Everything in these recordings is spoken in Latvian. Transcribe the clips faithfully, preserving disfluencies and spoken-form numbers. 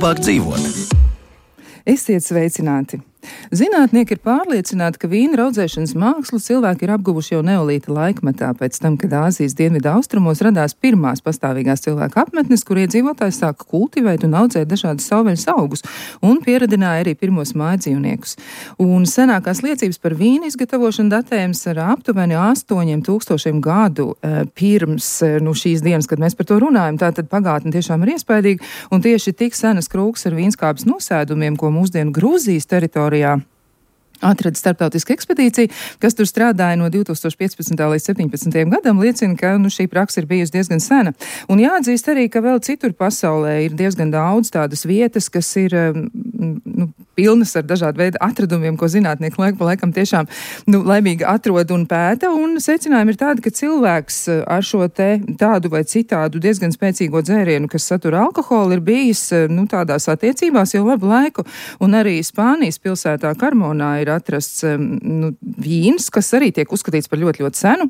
labāk dzīvot. Esiet sveicināti! Zinātnieki ir pārliecināti, ka vīna raudzēšanas mākslu cilvēki ir apguvuši jau neolīta laikmetā, pēc tam, kad Āzijas dienvidu austrumos radās pirmās pastāvīgās cilvēku apmetnes, kur iedzīvotāji sāka kultivēt un audzēt dažādas savvaļas augus un pieradināja arī pirmos mājdzīvniekus. Un senākās liecības par vīnu izgatavošanu datējums ar aptuveni astoņiem tūkstošiem gadu pirms nu, šīs dienas, kad mēs par to runājam. Tātad pagātne tiešām ir iespaidīga, un tieši tik senas krūks ar vīnskābes nosēdumiem, ko mūsdienu Grūzijas teritorijā atrada starptautiska ekspedīcija, kas tur strādāja no divi tūkstoši piecpadsmitā līdz septiņpadsmitajam gadam, liecina, ka nu, šī praksa ir bijusi diezgan sena. Un jāatzīst arī, ka vēl citur pasaulē ir diezgan daudz tādas vietas, kas ir nu, pilnas ar dažādu veidu atradumiem, ko zinātnieki laik pa laikam tiešām nu, laimīgi atrod un pēta. Un secinājumi ir tādi, ka cilvēks ar šo te tādu vai citādu diezgan spēcīgo dzērienu, kas satura alkoholu, ir bijis nu, tādās attiecībās jau labu laiku. Un arī Spānijas pilsētā Karmonā ir atrasts nu, vīns, kas arī tiek uzskatīts par ļoti, ļoti senu.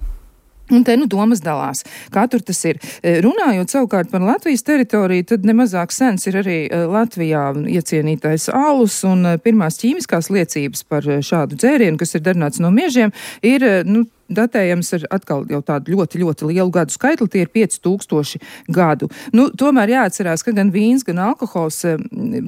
Un te nu domas dalās. Kā tur tas ir? Runājot savukārt par Latvijas teritoriju, tad nemazāk sens ir arī Latvijā iecienītais alus, un pirmās ķīmiskās liecības par šādu dzērienu, kas ir darināts no miežiem, ir nu, datējams ar atkal jau tādu ļoti, ļoti lielu gadu skaitli, tie ir pieci tūkstoši gadu. Nu, tomēr jāatcerās, ka gan vīns, gan alkohols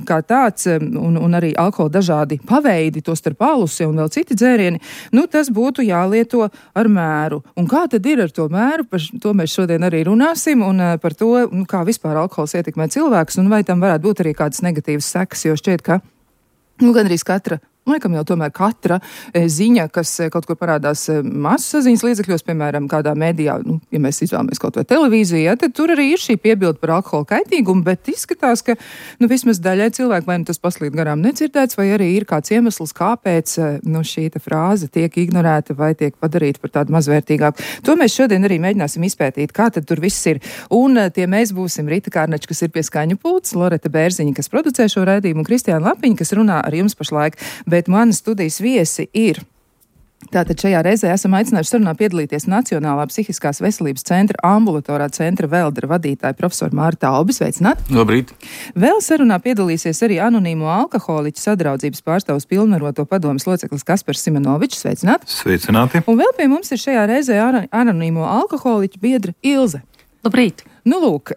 kā tāds, un, un arī alkohola dažādi paveidi, to starp alusi un vēl citi dzērieni, nu, tas būtu jālieto ar mēru. Un kā tad ir ar to mēru? Par to mēs šodien arī runāsim, un par to, nu, kā vispār alkohols ietekmē cilvēkus, un vai tam varētu būt arī kādas negatīvas sekas, jo šķiet, ka nu, gandrīz katra Laikam jau tomēr katra ziņa, kas kaut kur parādās masu saziņas līdzekļos, piemēram, kādā mēdījā, nu, ja mēs izvēlamies kaut vai televīziju, ja, tad tur arī ir šī piebilde par alkohola kaitīgumu, bet izskatās, ka nu, vismaz daļai cilvēku vai nu tas paslīd garām nedzirdēts, vai arī ir kāds iemesls, kāpēc nu, šī frāze tiek ignorēta vai tiek padarīta par tādu mazvērtīgāku. To mēs šodien arī mēģināsim izpētīt, kā tad tur viss ir. Un tie mēs būsim Rita Kārnača, kas ir pie skaņu pults, Loreta Bērziņa, kas producē šo raidījumu, un Kristiāna Lapiņa, kas runā ar jums pašlaik. Bet manas studijas viesi ir. Tātad šajā reizē esam aicinājuši sarunā piedalīties Nacionālā psihiskās veselības centra ambulatorā centra Veldra vadītāja profesora Mārta Albi. Sveicināt! Labrīt! Vēl sarunā piedalīsies arī anonīmo alkoholiķu sadraudzības pārstāvs pilnvaroto padomes loceklis Kaspars Simonovičs. Sveicināt! Sveicināti! Un vēl pie mums ir šajā reizē anonīmo alkoholiķu biedra Ilze. Labrīt! Nu, lūk,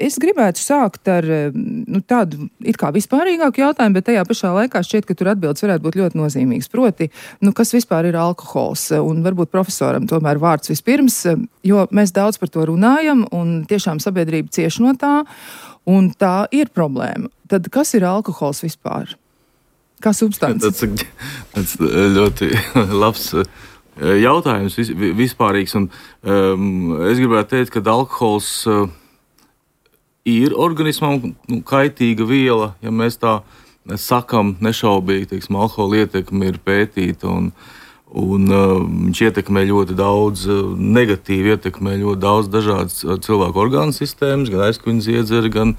es gribētu sākt ar nu, tādu it kā vispārīgāku jautājumu, bet tajā pašā laikā šķiet, ka tur atbildes varētu būt ļoti nozīmīgas. Proti, nu, kas vispār ir alkohols? Un varbūt profesoram tomēr vārds vispirms, jo mēs daudz par to runājam un tiešām sabiedrība cieš no tā, un tā ir problēma. Tad kas ir alkohols vispār? Kā substance? Tas, tas ļoti labs jautājums, vispārīgs. Un, um, es gribētu teikt, ka alkohols uh, ir organismam nu, kaitīga viela, ja mēs tā sakam nešaubīgi, teiksim, alkohola ietekme ir pētīta un, un viņš uh, ietekmē ļoti daudz, uh, negatīvi ietekmē ļoti daudz dažādas uh, cilvēku orgānu sistēmas, gan aizkuņas iedzeri, gan,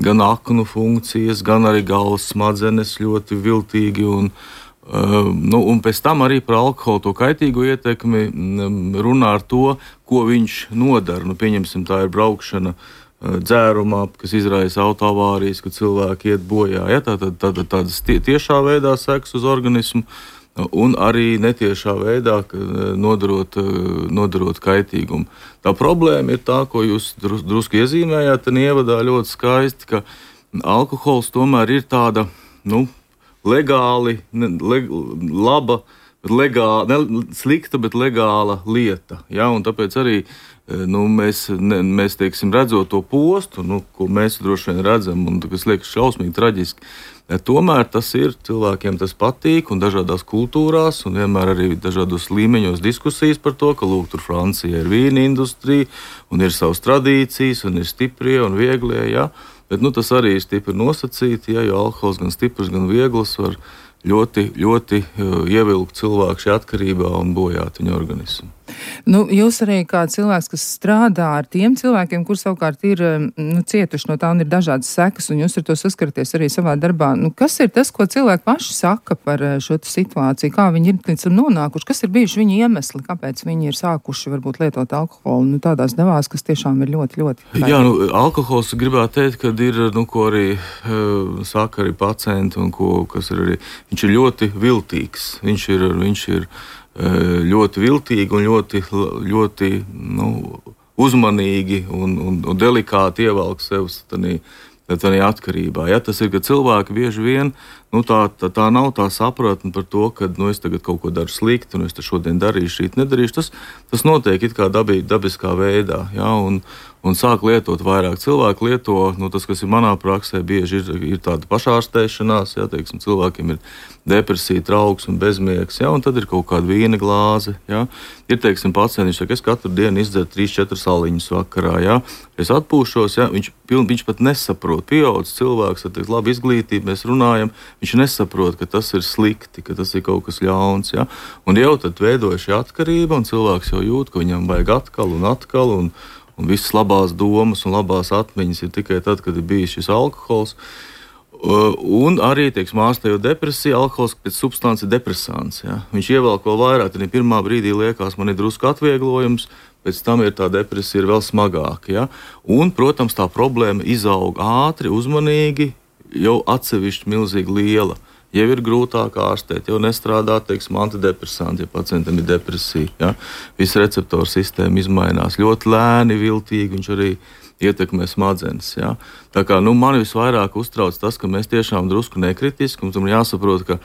gan aknu funkcijas, gan arī galvas smadzenes ļoti viltīgi un, uh, nu, un pēc tam arī par alkoholu to kaitīgo ietekmi um, runā ar to, ko viņš nodara. Nu, pieņemsim, tā ir braukšana dzērumā, kas izraisa autoavārijas, kad cilvēki iet bojā. Ja, tātad tā, tā, tādas tie, tiešā veidā seks uz organismu un arī netiešā veidā nodarot, nodarot kaitīgumu. Tā problēma ir tā, ko jūs drus, drusku iezīmējāt, un ievadā ļoti skaisti, ka alkohols tomēr ir tāda, nu, legāli, ne, leg, laba, legāla, ne slikta, bet legāla lieta. Ja, un tāpēc arī Nu, mēs, ne, mēs teiksim, redzot to postu, nu, ko mēs droši vien redzam, un kas liekas šausmīgi traģiski, tomēr tas ir, cilvēkiem tas patīk, un dažādās kultūrās, un vienmēr arī dažādos līmeņos diskusijas par to, ka, lūk, tur Francija ir vīna industrija, un ir savas tradīcijas, un ir stiprie un vieglie, ja, bet, nu, tas arī ir stipri nosacīti, ja, jo alkohols gan stiprs, gan viegls var ļoti, ļoti uh, ievilkt cilvēku šajā atkarībā un bojāt viņa organismu. Nu, jūs arī kā cilvēks, kas strādā ar tiem cilvēkiem, kur savukārt ir nu, cietuši no tā un ir dažādas sekas, un jūs ar to saskaraties arī savā darbā. Nu, kas ir tas, ko cilvēki paši saka par šo situāciju? Kā viņi ir līdz tam nonākuši? Kas ir bijuši viņa iemesli? Kāpēc viņi ir sākuši varbūt lietot alkoholu? Nu, tādās devās, kas tiešām ir ļoti, ļoti. Vērtīgi. Jā, nu, alkohols gribētu teikt, kad ir, nu, ko arī uh, saka arī pacienti un ko, kas ir arī, viņš ir ļoti viltīgs. Viņš ir, viņš ir ļoti viltīgi un ļoti, ļoti nu, uzmanīgi un, un, un delikāti ievelk sev tādā atkarībā. Ja, tas ir, ka cilvēki bieži vien, nu, tā, tā, tā nav tā sapratne par to, ka nu, es tagad kaut ko daru slikti un es šodien darīšu, rīt nedarīšu. Tas, tas notiek it kā dabī, dabiskā veidā. Ja, un, un sāk lietot vairāk. Cilvēki lieto, nu, tas, kas ir manā praksē, bieži ir, ir tāda pašārstēšanās, ja, teiksim, cilvēkiem ir depresija, trauksme, bezmiegs, ja, un tad ir kaut kāda vīna glāze. Ja. Ir, teiksim, pacienti, viņš saka, es katru dienu izdzeru trīs četras aliņus vakarā, ja. Es atpūšos, ja, viņš, piln, viņš pat nesaprot. Pieaudzis cilvēks, ar labu izglītību, mēs runājam, viņš nesaprot, ka tas ir slikti, ka tas ir kaut kas ļauns. Ja. Un jau tad veidojas šī atkarība, un cilvēks jau jūt, ka viņam vajag atkal un atkal, un, un visas labās domas un labās atmiņas ir tikai tad, kad ir bijis šis alkohols. Un arī, teiksim, ārstējot depresiju, alkohols pēc substance ir depresants. Ja. Viņš ievelk vēl vairāk, tad pirmā brīdī liekas, man ir drusku atvieglojums, pēc tam ir tā depresija ir vēl smagāka. Ja. Un, protams, tā problēma izaug ātri, uzmanīgi, jau atsevišķi milzīgi liela. Jau ir grūtāk ārstēt, jau nestrādā, teiksim, antidepresanti, ja pacientam ir depresija. Ja. Visa receptoru sistēma izmainās ļoti lēni, viltīgi, viņš arī ietekmē smadzenes. Ja. Tā kā nu, man visvairāk uztrauc tas, ka mēs tiešām drusku nekritiski, un tam jāsaprot, ka,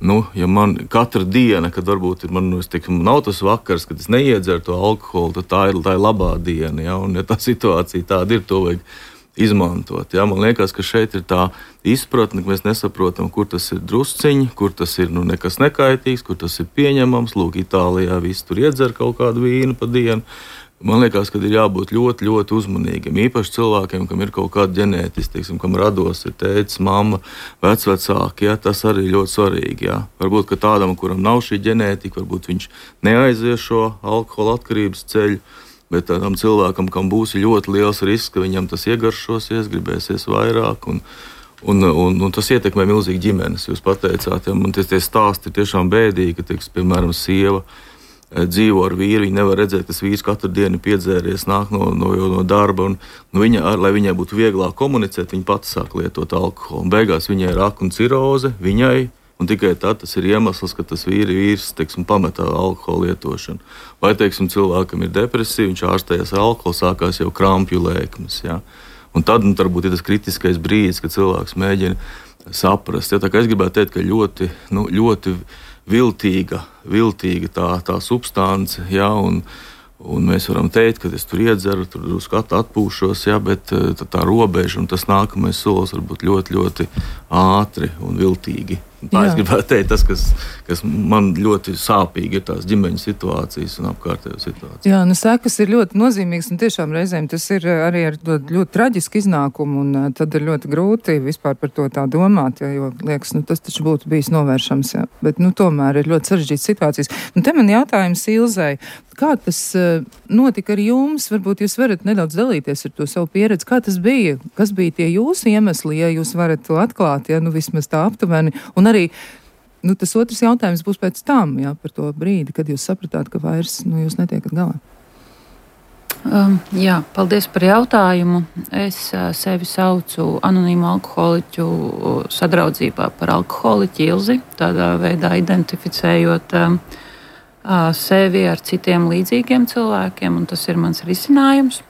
nu, ja man katra diena, kad varbūt ir, man, nu, es teiksim, nav tas vakars, kad es neiedzeru to alkoholu, tad tā ir, tā ir labā diena, ja, un ja tā situācija tāda ir, to vajag izmantot. Ja. Man liekas, ka šeit ir tā izpratne, ka mēs nesaprotam, kur tas ir drusciņi, kur tas ir nu, nekas nekaitīgs, kur tas ir pieņemams. Lūk, Itālijā visi tur iedzer kaut kādu vīnu pa dienu. Man liekas, ka ir jābūt ļoti, ļoti uzmanīgiem. Īpaši cilvēkiem, kam ir kaut kāda ģenētiska, teiksim, kam rados ir tētis, mamma, vecvecāki, ja, tas arī ļoti svarīgi. Ja. Varbūt, ka tādam, kuram nav šī ģenētika, varbūt viņš neaizies šo alkohola atkarības ceļu, bet tādam cilvēkam, kam būs ļoti liels risks, ka viņam tas iegaršosies, gribēsies vairāk, un, un, un, un tas ietekmē milzīgi ģimenes. Jūs pateicāt, ja, man tie, tie stāsti ir tiešām bēdīgi, ka, teiks, piemēram, sieva dzīvo ar vīru, viņa nevar redzēt, ka tas vīrs katru dienu piedzēries, nāk no, no, no darba, un nu, viņa, ar, lai viņai būtu vieglāk komunicēt, viņa pati sāk lietot alkoholu. Un beigās viņai ir raka un ciroze, viņai, un tikai tad tas ir iemesls, ka tas vīri, vīrs, teiksim, pametā alkoholu lietošanu. Vai, teiksim, cilvēkam ir depresija, viņš ārstējas ar alkoholu, sākās jau krampju lēkmes, ja. Un tad, nu, varbūt ir tas kritiskais brīdis, kad cilvēks mēģina saprast. Ja, tā kā es gribētu teikt, ka ļoti, nu, ļoti viltīga, viltīga tā, tā substance, ja, un, un mēs varam teikt, ka es tur iedzeru, tur drusku atpūšos, ja, bet tā, tā robeža un tas nākamais solis var būt ļoti, ļoti ātri un viltīgi. Tā Jā. Es gribētu teikt, tas, kas, kas man ļoti sāpīgi ir tās ģimeņu situācijas un apkārtējo situācijas. Jā, nu sekas ir ļoti nozīmīgas un tiešām reizēm tas ir arī ar ļoti, ļoti traģisku iznākumu un tad ir ļoti grūti vispār par to tā domāt, ja, jo liekas, nu tas taču būtu bijis novēršams, ja. Bet nu tomēr ir ļoti sarežģītas situācijas. Nu te man jautājums Ilzei, kā tas notika ar jums? Varbūt jūs varat nedaudz dalīties ar to savu pieredzi. Kā tas bija? Kas bija tie jūsu iemesli, ja jūs varat to atklāt, ja nu vismaz tā aptuveni? Un arī nu, tas otrs jautājums būs pēc tam, jā, par to brīdi, kad jūs sapratāt, ka vairs nu, jūs netiekat galā. Um, jā, paldies par jautājumu. Es uh, sevi saucu anonīmu alkoholiķu sadraudzībā par alkoholiķi Ilzi, tādā veidā identificējot um, uh, sevi ar citiem līdzīgiem cilvēkiem, un tas ir mans risinājums,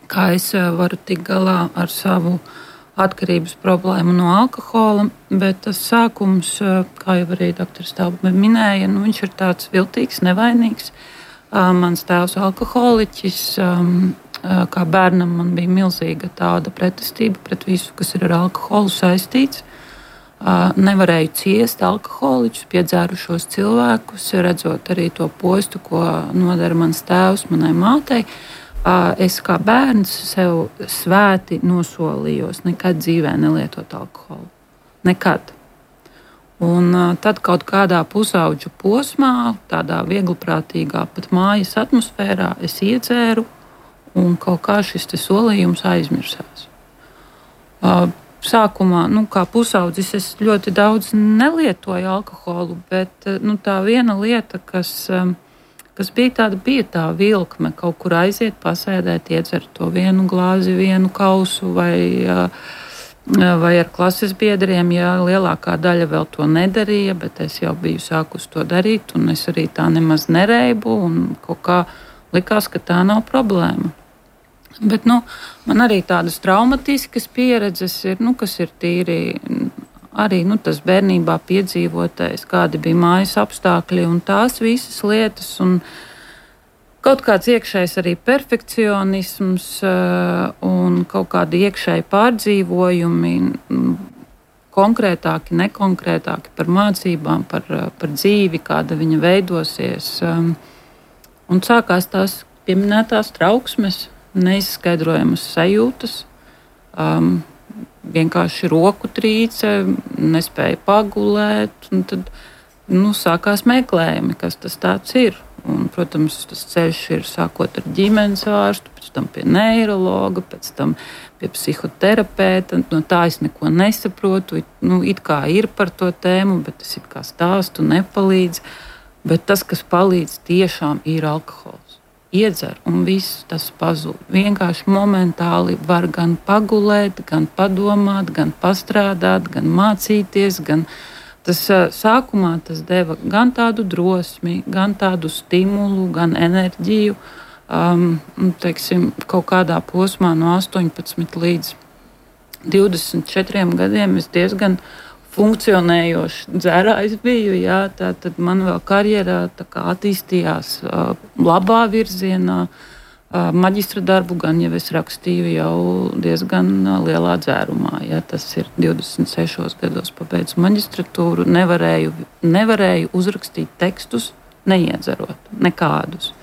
kā es uh, varu tikt galā ar savu atkarības problēmu no alkohola, bet tas sākums, kā jau arī doktors Tauba minēja, nu, viņš ir tāds viltīgs, nevainīgs. Mans tēvs alkoholiķis, kā bērnam man bija milzīga tāda pretestība pret visu, kas ir ar alkoholu saistīts. Nevarēju ciest alkoholiķus, piedzērušos cilvēkus, redzot arī to postu, ko nodara mans tēvs manai mātei. Es kā bērns sev svēti nosolījos nekad dzīvē nelietot alkoholu. Nekad. Un tad kaut kādā pusauģu posmā, tādā viegliprātīgā pat mājas atmosfērā es iedzēru, un kaut kā šis solījums aizmirsās. Sākumā, nu, kā pusaudzis, es ļoti daudz nelietoju alkoholu, bet nu, tā viena lieta, kas, kas bija tāda, bija tā vilkme, kaut kur aiziet, pasēdēt, iedzert to vienu glāzi, vienu kausu vai, vai ar klases biedriem, ja lielākā daļa vēl to nedarīja, bet es jau biju sākus to darīt, un es arī tā nemaz nereibu, un kaut kā likās, ka tā nav problēma. Bet nu, man arī tādas traumatiskas pieredzes ir, nu, kas ir tīri arī nu, tas bērnībā piedzīvotais, kādi bija mājas apstākļi un tās visas lietas. Un kaut kāds iekšējs arī perfekcionisms un kaut kādi iekšēji pārdzīvojumi, konkrētāki, nekonkrētāki par mācībām, par, par dzīvi, kāda viņa veidosies. Un sākās tās pieminētās trauksmes, neizskaidrojamas sajūtas, um, vienkārši roku trīce, nespēja pagulēt. Tad nu, sākās meklējumi, kas tas tāds ir. Un, protams, tas ceļš ir sākot ar ģimenes ārstu, pēc tam pie neirologa, pēc tam pie psihoterapeita. No tā es neko nesaprotu. Nu, it kā ir par to tēmu, bet es it kā stāstu nepalīdz. Bet tas, kas palīdz, tiešām ir alkohols. Iedzer, un viss tas pazūd. Vienkārši momentāli var gan pagulēt, gan padomāt, gan pastrādāt, gan mācīties. Gan tas sākumā tas deva gan tādu drosmi, gan tādu stimulu, gan enerģiju. Um, teiksim, kaut kādā posmā no astoņpadsmit līdz divdesmit četriem gadiem es diezgan funkcionējošs dzērājs biju, jā, tā tad man vēl karjerā tā kā attīstījās uh, labā virzienā. Uh, maģistra darbu gan jau es rakstīju jau diezgan uh, lielā dzērumā, jā, tas ir divdesmit sešos gados pabeidzu maģistratūru, nevarēju, nevarēju uzrakstīt tekstus, neiedzerot nekādus.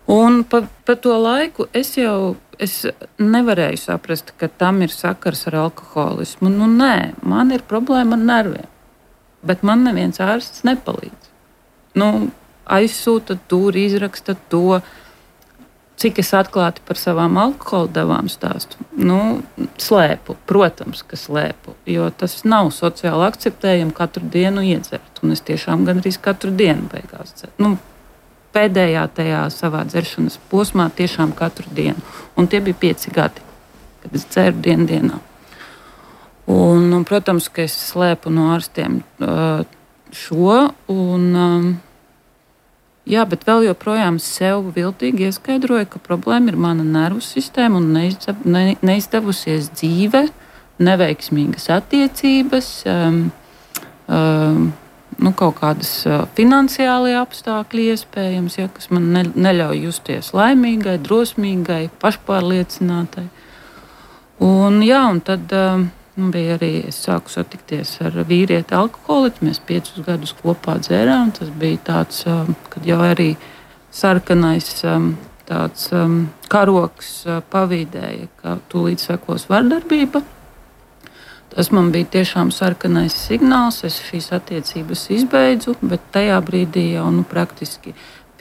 Un pa, pa to laiku es jau es nevarēju saprast, ka tam ir sakars ar alkoholismu. Nu, nē, man ir problēma ar nerviem, bet man neviens ārsts nepalīdz. Nu, aizsūta tur, izraksta to, cik es atklāti par savām alkohola devām stāstu. Nu, slēpu, protams, ka slēpu, jo tas nav sociāli akceptējami katru dienu iedzert. Un es tiešām gandrīz katru dienu beigās dzeru. Nu, pēdējā tajā savā dzeršanas posmā tiešām katru dienu. Un tie bija pieci gadi, kad es dzeru dienu dienā. Un, un, protams, ka es slēpu no ārstiem uh, šo. Un, um, jā, bet vēl joprojām sev viltīgi ieskaidroju, ka problēma ir mana nervu sistēma un neizdev, ne, neizdevusies dzīve, neveiksmīgas attiecības, um, um, nu, kaut kādas uh, finansiālie apstākļi iespējams, ja, kas man ne, neļauj justies laimīgai, drosmīgai, pašpārliecinātai. Un, jā, un tad uh, bija arī, es sāku satikties ar vīrieti alkoholiķi, mēs piecus gadus kopā dzērām, tas bija tāds, uh, kad jau arī sarkanais um, tāds um, karoks uh, pavīdēja, ka tūlīt sekos vardarbība. Tas man bija tiešām sarkanais signāls, es šīs attiecības izbeidzu, bet tajā brīdī jau nu, praktiski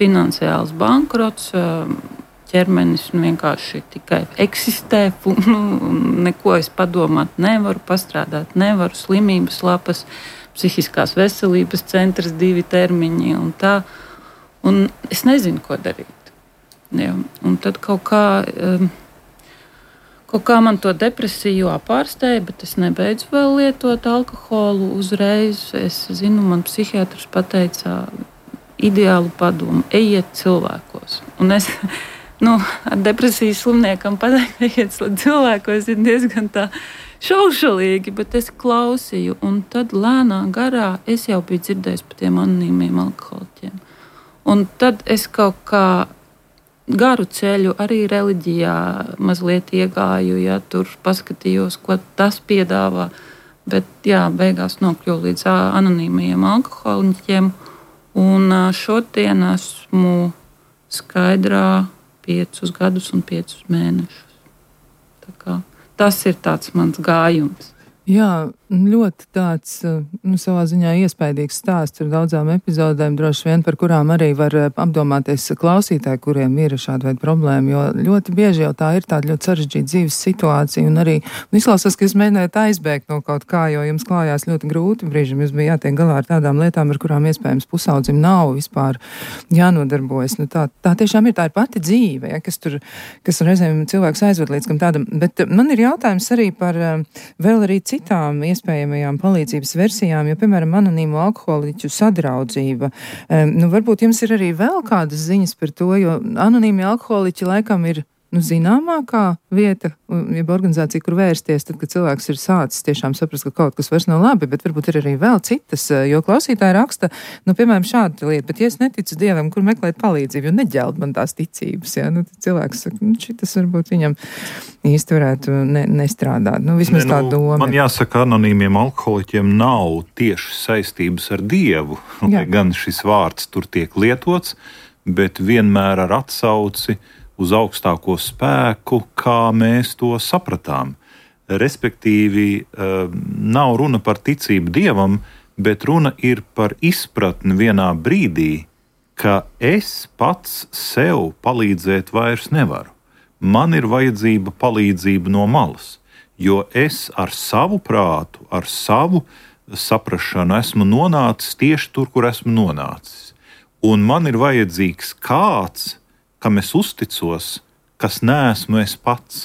finansiāls bankrots, ķermenis nu, vienkārši tikai eksistē, nu, neko es padomāt nevaru, pastrādāt nevaru, slimības lapas, psihiskās veselības centrs, divi termiņi un tā. Un es nezinu, ko darīt. Ja, un tad kaut kā... Um, Kaut kā man to depresiju apārstēja, bet es nebeidzu vēl lietot alkoholu uzreiz. Es zinu, man psihiatrs pateica ideālu padomu – ejiet cilvēkos. Un es nu, ar depresijas slimniekam pateikt, ejiet cilvēkos ir diezgan tā šaušalīgi, bet es klausīju. Un tad lēnā garā es jau biju dzirdējis par tiem anonīmiem alkoholiķiem. Un tad es kaut kā garu ceļu arī reliģijā mazliet iegāju, ja tur paskatījos, ko tas piedāvā, bet jā, beigās nokļuvu līdz anonīmajiem alkoholiķiem, un šodien esmu skaidrā piecus gadus un piecus mēnešus. Tā kā tas ir tāds mans gājums. Jā, ļoti tāds, nu, savā ziņā iespaidīgs stāsts ar daudzām epizodēm, droši vien, par kurām arī var apdomāties klausītāji, kuriem ir šāda veida problēma, jo ļoti bieži jau tā ir tāda ļoti sarežģīta dzīves situācija, un arī izklausās, ka jūs mēģinājāt aizbēgt no kaut kā, jo jums klājās ļoti grūti brīžam, jūs bija jātiek galā ar tādām lietām, ar kurām iespējams pusaudzim nav vispār jānodarbojas. Nu, tā, tā tiešām ir, tā ir pati dzīve, ja, kas tur, kas reizēm cilvēks aizved līdz kam tādam, bet man ir jautājums arī par vēl arī citām iespējamajām palīdzības versijām, jo, piemēram, anonīmo alkoholiķu sadraudzība. Um, nu, varbūt jums ir arī vēl kādas ziņas par to, jo anonīmi alkoholiķi laikam ir, nu, zināmākā vieta, jeb organizācija, kur vērsties, tad, kad cilvēks ir sācis tiešām saprast, ka kaut kas vairs nav labi, bet varbūt ir arī vēl citas, jo klausītāji raksta, nu, piemēram, šāda lieta, bet ja es neticu Dievam, kur meklēt palīdzību, jo neģeld man tās ticības, ja, nu, cilvēks saka, nu, šitas varbūt viņam īsti varētu ne, nestrādāt, nu, vismaz ne, nu, tā doma. Man jāsaka, anonīmiem alkoholiķiem nav tieši saistības ar Dievu, lai gan šis vārds tur tiek lietots, bet vienmēr ar atsauci uz augstāko spēku, kā mēs to sapratām. Respektīvi, nav runa par ticību Dievam, bet runa ir par izpratni vienā brīdī, ka es pats sev palīdzēt vairs nevaru. Man ir vajadzība palīdzība no malas, jo es ar savu prātu, ar savu saprašanu esmu nonācis tieši tur, kur esmu nonācis. Un man ir vajadzīgs kāds, kam es uzticos, kas neesmu es pats.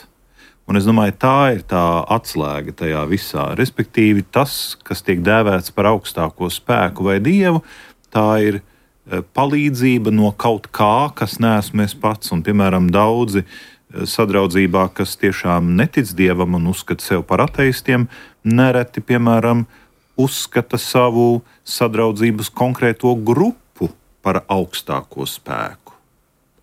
Un es domāju, tā ir tā atslēga tajā visā. Respektīvi, tas, kas tiek dēvēts par augstāko spēku vai Dievu, tā ir palīdzība no kaut kā, kas neesmu es pats. Un, piemēram, daudzi sadraudzībā, kas tiešām netic Dievam un uzskata sev par ateistiem, nereti, piemēram, uzskata savu sadraudzības konkrēto grupu par augstāko spēku.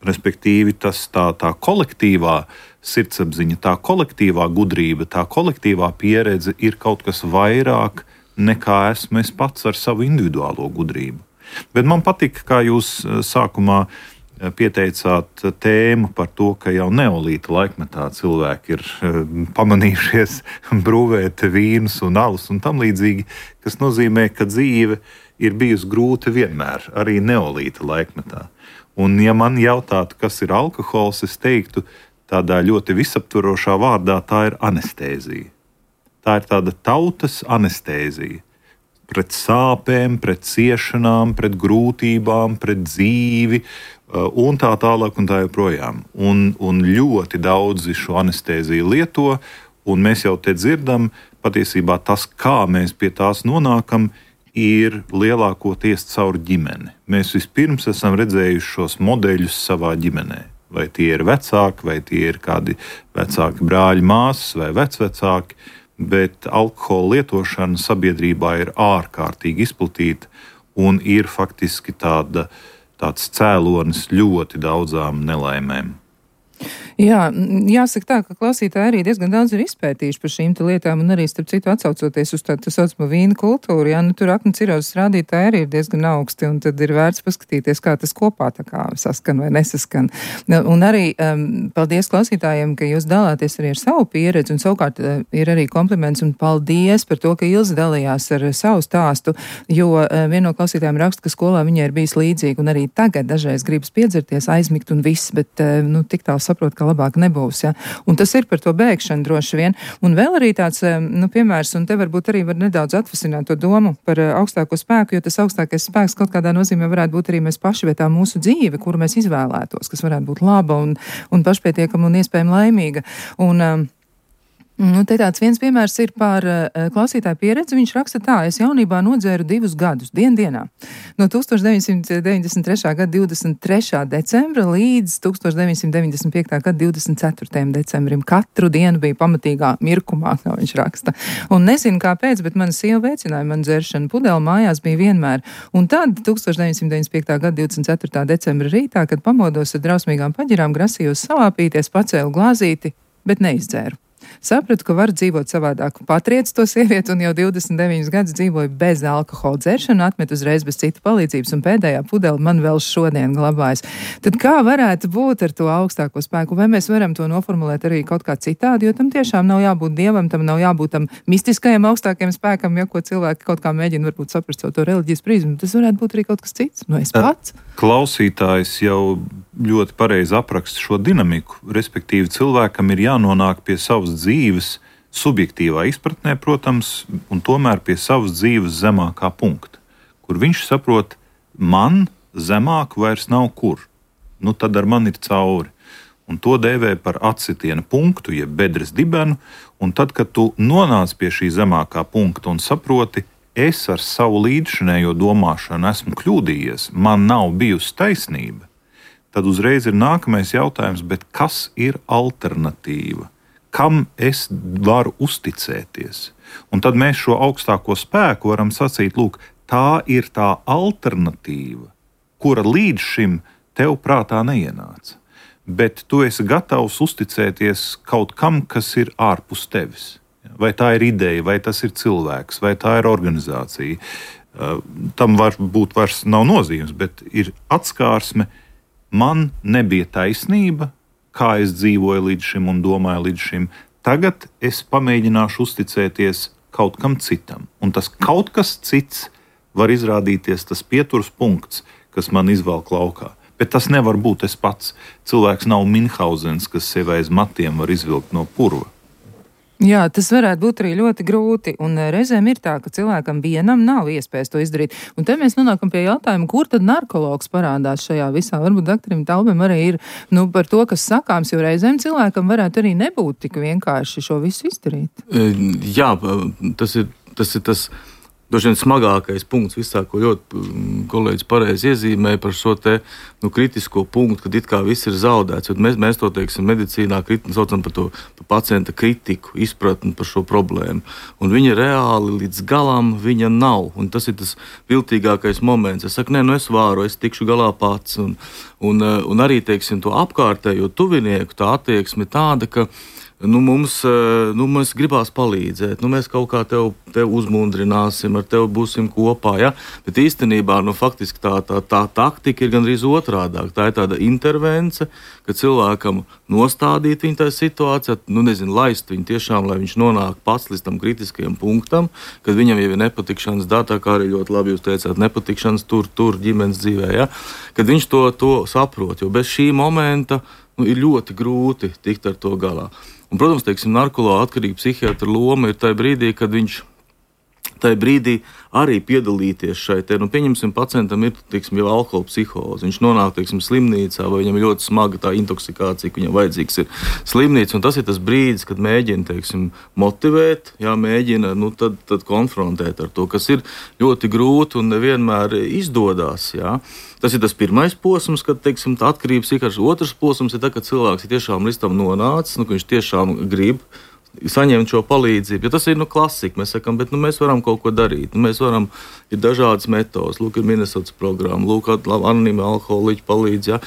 Respektīvi, tas tā, tā kolektīvā sirdsapziņa, tā kolektīvā gudrība, tā kolektīvā pieredze ir kaut kas vairāk nekā esmu es pats ar savu individuālo gudrību. Bet man patika, kā jūs sākumā pieteicāt tēmu par to, ka jau neolīta laikmetā cilvēki ir pamanījušies brūvēt vīnus un alus un tam līdzīgi, kas nozīmē, ka dzīve ir bijusi grūta vienmēr, arī neolīta laikmetā. Un, ja man jautātu, kas ir alkohols, es teiktu tādā ļoti visaptvarošā vārdā, tā ir anestēzija. Tā ir tāda tautas anestēzija. Pret sāpēm, pret ciešanām, pret grūtībām, pret dzīvi un tā tālāk un tā joprojām. Un, un ļoti daudzi šo anestēziju lieto, un mēs jau te dzirdam, patiesībā tas, kā mēs pie tās nonākam, ir lielākoties caur ģimeni. Mēs vispirms esam redzējuši šos modeļus savā ģimenē. Vai tie ir vecāki, vai tie ir kādi vecāki brāļi, māsas vai vecvecāki, bet alkohola lietošana sabiedrībā ir ārkārtīgi izplatīta un ir faktiski tāda, tāds cēlonis ļoti daudzām nelaimēm. Jā, jāsaka tā, ka klausītāji arī diezgan daudz ir izpētījuši par šīm lietām un arī, starp citu, atsaucoties uz tādu saucamo vīnu kultūru, jā, nu tur aknu cirozes rādītāji arī ir diezgan augsti un tad ir vērts paskatīties, kā tas kopā tā kā saskan vai nesaskan. Un arī um, paldies klausītājiem, ka jūs dalāties arī ar savu pieredzi un savukārt uh, ir arī kompliments un paldies par to, ka Ilze dalījās ar savu stāstu, jo uh, viena no klausītājiem raksta, ka skolā viņai ir bijis līdzīgi un arī tagad dažreiz gribas piedzerties, aizmigt un viss, bet uh, nu tik tālu saprot, ka labāk nebūs, ja. Un tas ir par to bēgšanu droši vien. Un vēl arī tāds, nu, piemērs, un te varbūt arī var nedaudz atvasināt to domu par augstāko spēku, jo tas augstākais spēks kaut kādā nozīmē varētu būt arī mēs paši, vai tā mūsu dzīve, kuru mēs izvēlētos, kas varētu būt laba un, un pašpietiekama un iespējami laimīga. Un, um, Nu, te tāds viens piemērs ir par uh, klausītāju pieredzi. Viņš raksta tā: es jaunībā nodzēru divus gadus, dien dienā. No tūkstoš deviņsimt deviņdesmit trešā gada divdesmit trešā decembra līdz tūkstoš deviņsimt deviņdesmit piektā gada divdesmit ceturtajam decembrim. Katru dienu bija pamatīgā mirkumā, kā viņš raksta. Un nezinu kāpēc, bet mana sieva veicināja man dzeršanu. Pudeli mājās bija vienmēr. Un tad tūkstoš deviņsimt deviņdesmit piektā gada divdesmit ceturtā decembra rītā, kad pamodos ar drausmīgām paģirām, grasījos savāpīties, pacēlu glāzīti, bet neizdzēru. sapratu, ka var dzīvot savādāk. Patriec to sievieti un jau divdesmit deviņus gadus dzīvoju bez alkohola dzeršana, atmet uzreiz bez citu palīdzības un pēdējā pudele man vēl šodien glabājas. Tad kā varētu būt ar to augstāko spēku? Vai mēs varam to noformulēt arī kaut kā citādi, jo tam tiešām nav jābūt dievam, tam nav jābūt tam mistiskajam augstākajam spēkam, ja ko cilvēki kaut kā mēģina varbūt saprast caur to reliģijas prizmu. Tas varētu būt arī kaut kas cits. Nu, es pats. Klausītājs jau ļoti pareizi apraksta šo dinamiku, respektīvi cilvēkam ir jānonāk pie savas dzīves subjektīvā izpratnē, protams, un tomēr pie savas dzīves zemākā punkta, kur viņš saprot, man zemāk vairs nav kur, nu tad ar mani ir cauri. Un to dēvē par atsitiena punktu, jeb bedres dibenu, un tad, kad tu nonāc pie šī zemākā punkta un saproti, es ar savu līdzšinējo domāšanu esmu kļūdījies, man nav bijusi taisnība, tad uzreiz ir nākamais jautājums, bet kas ir alternatīva? Kam es varu uzticēties? Un tad mēs šo augstāko spēku varam sacīt, lūk, tā ir tā alternatīva, kura līdz šim tev prātā neienāca. Bet tu esi gatavs uzticēties kaut kam, kas ir ārpus tevis. Vai tā ir ideja, vai tas ir cilvēks, vai tā ir organizācija. Tam var būt vairs nav nozīmes, bet ir atskārsme. Man nebija taisnība, kā es dzīvoju līdz šim un domāju līdz šim. Tagad es pamēģināšu uzticēties kaut kam citam. Un tas kaut kas cits var izrādīties tas pieturas punkts, kas man izvelk laukā. Bet tas nevar būt es pats. Cilvēks nav Minhausens, kas sevi aiz matiem var izvilkt no purva. Jā, tas varētu būt arī ļoti grūti, un reizēm ir tā, ka cilvēkam vienam nav iespējas to izdarīt. Un te mēs nonākam pie jautājuma, kur tad narkologs parādās šajā visā. Varbūt doktorim Taubim arī ir nu, par to, kas sakāms, jo reizēm cilvēkam varētu arī nebūt tik vienkārši šo visu izdarīt. Jā, tas ir tas. Ir tas... Droši vien smagākais punkts visā, ko ļoti kolēģis pareizi iezīmēja par šo te, nu, kritisko punktu, kad it kā viss ir zaudēts. Mēs, mēs to, teiksim, medicīnā kriti, saucam par to par pacienta kritiku, izpratni par šo problēmu. Un viņa reāli līdz galam viņa nav. Un tas ir tas viltīgākais moments. Es saku, nē, nu es vāru, es tikšu galā pats. Un, un, un arī, teiksim, to apkārtējo tuvinieku tā attieksme tāda, ka Nu, mums, nu, mums gribās palīdzēt, nu, mēs kaut kā tev, tev uzmundrināsim, ar tevi būsim kopā. Ja? Bet īstenībā nu, faktiski tā, tā, tā taktika ir gandrīz otrādāk. Tā ir tāda intervence, ka cilvēkam nostādīt viņu tajā situācijā, nu, nezinu, laist viņu tiešām, lai viņš nonāk pats līdz tam kritiskajam punktam, kad viņam jau ir nepatikšanas datā, kā arī ļoti labi jūs teicāt, nepatikšanas tur, tur ģimenes dzīvē. Ja? Kad viņš to, to saprot, jo bez šī momenta nu, ir ļoti grūti tikt ar to galā. Un, protams, teiksim, narkologa atkarība psihiatra loma ir tajā brīdī, kad viņš tajā brīdī arī piedalīties šai te, nu, pieņemsim, pacientam ir, teiksim, jau alkohola psihoze. Viņš nonāk, teiksim, slimnīcā, vai viņam ir ļoti smaga tā intoksikācija, ka viņam vajadzīgs ir slimnīca, un tas ir tas brīdis, kad mēģina, teiksim, motivēt, jā, mēģina, nu, tad, tad konfrontēt ar to, kas ir ļoti grūti un nevienmēr izdodas, jā. Tas ir tas pirmais posms, kad, teiksim, tā atkarības ikars. Otrs posms ir tā, ka cilvēks ir tiešām līdz tam nonācis, nu, ka viņš tiešām grib saņemt šo palīdzību. Jo tas ir nu, klasika. Mēs sakām, bet nu, mēs varam kaut ko darīt. Nu, mēs varam, ir dažādas metodas. Lūk, ir Minnesotas programma, lūk, anonīmi alkoholiķi palīdz. Ja.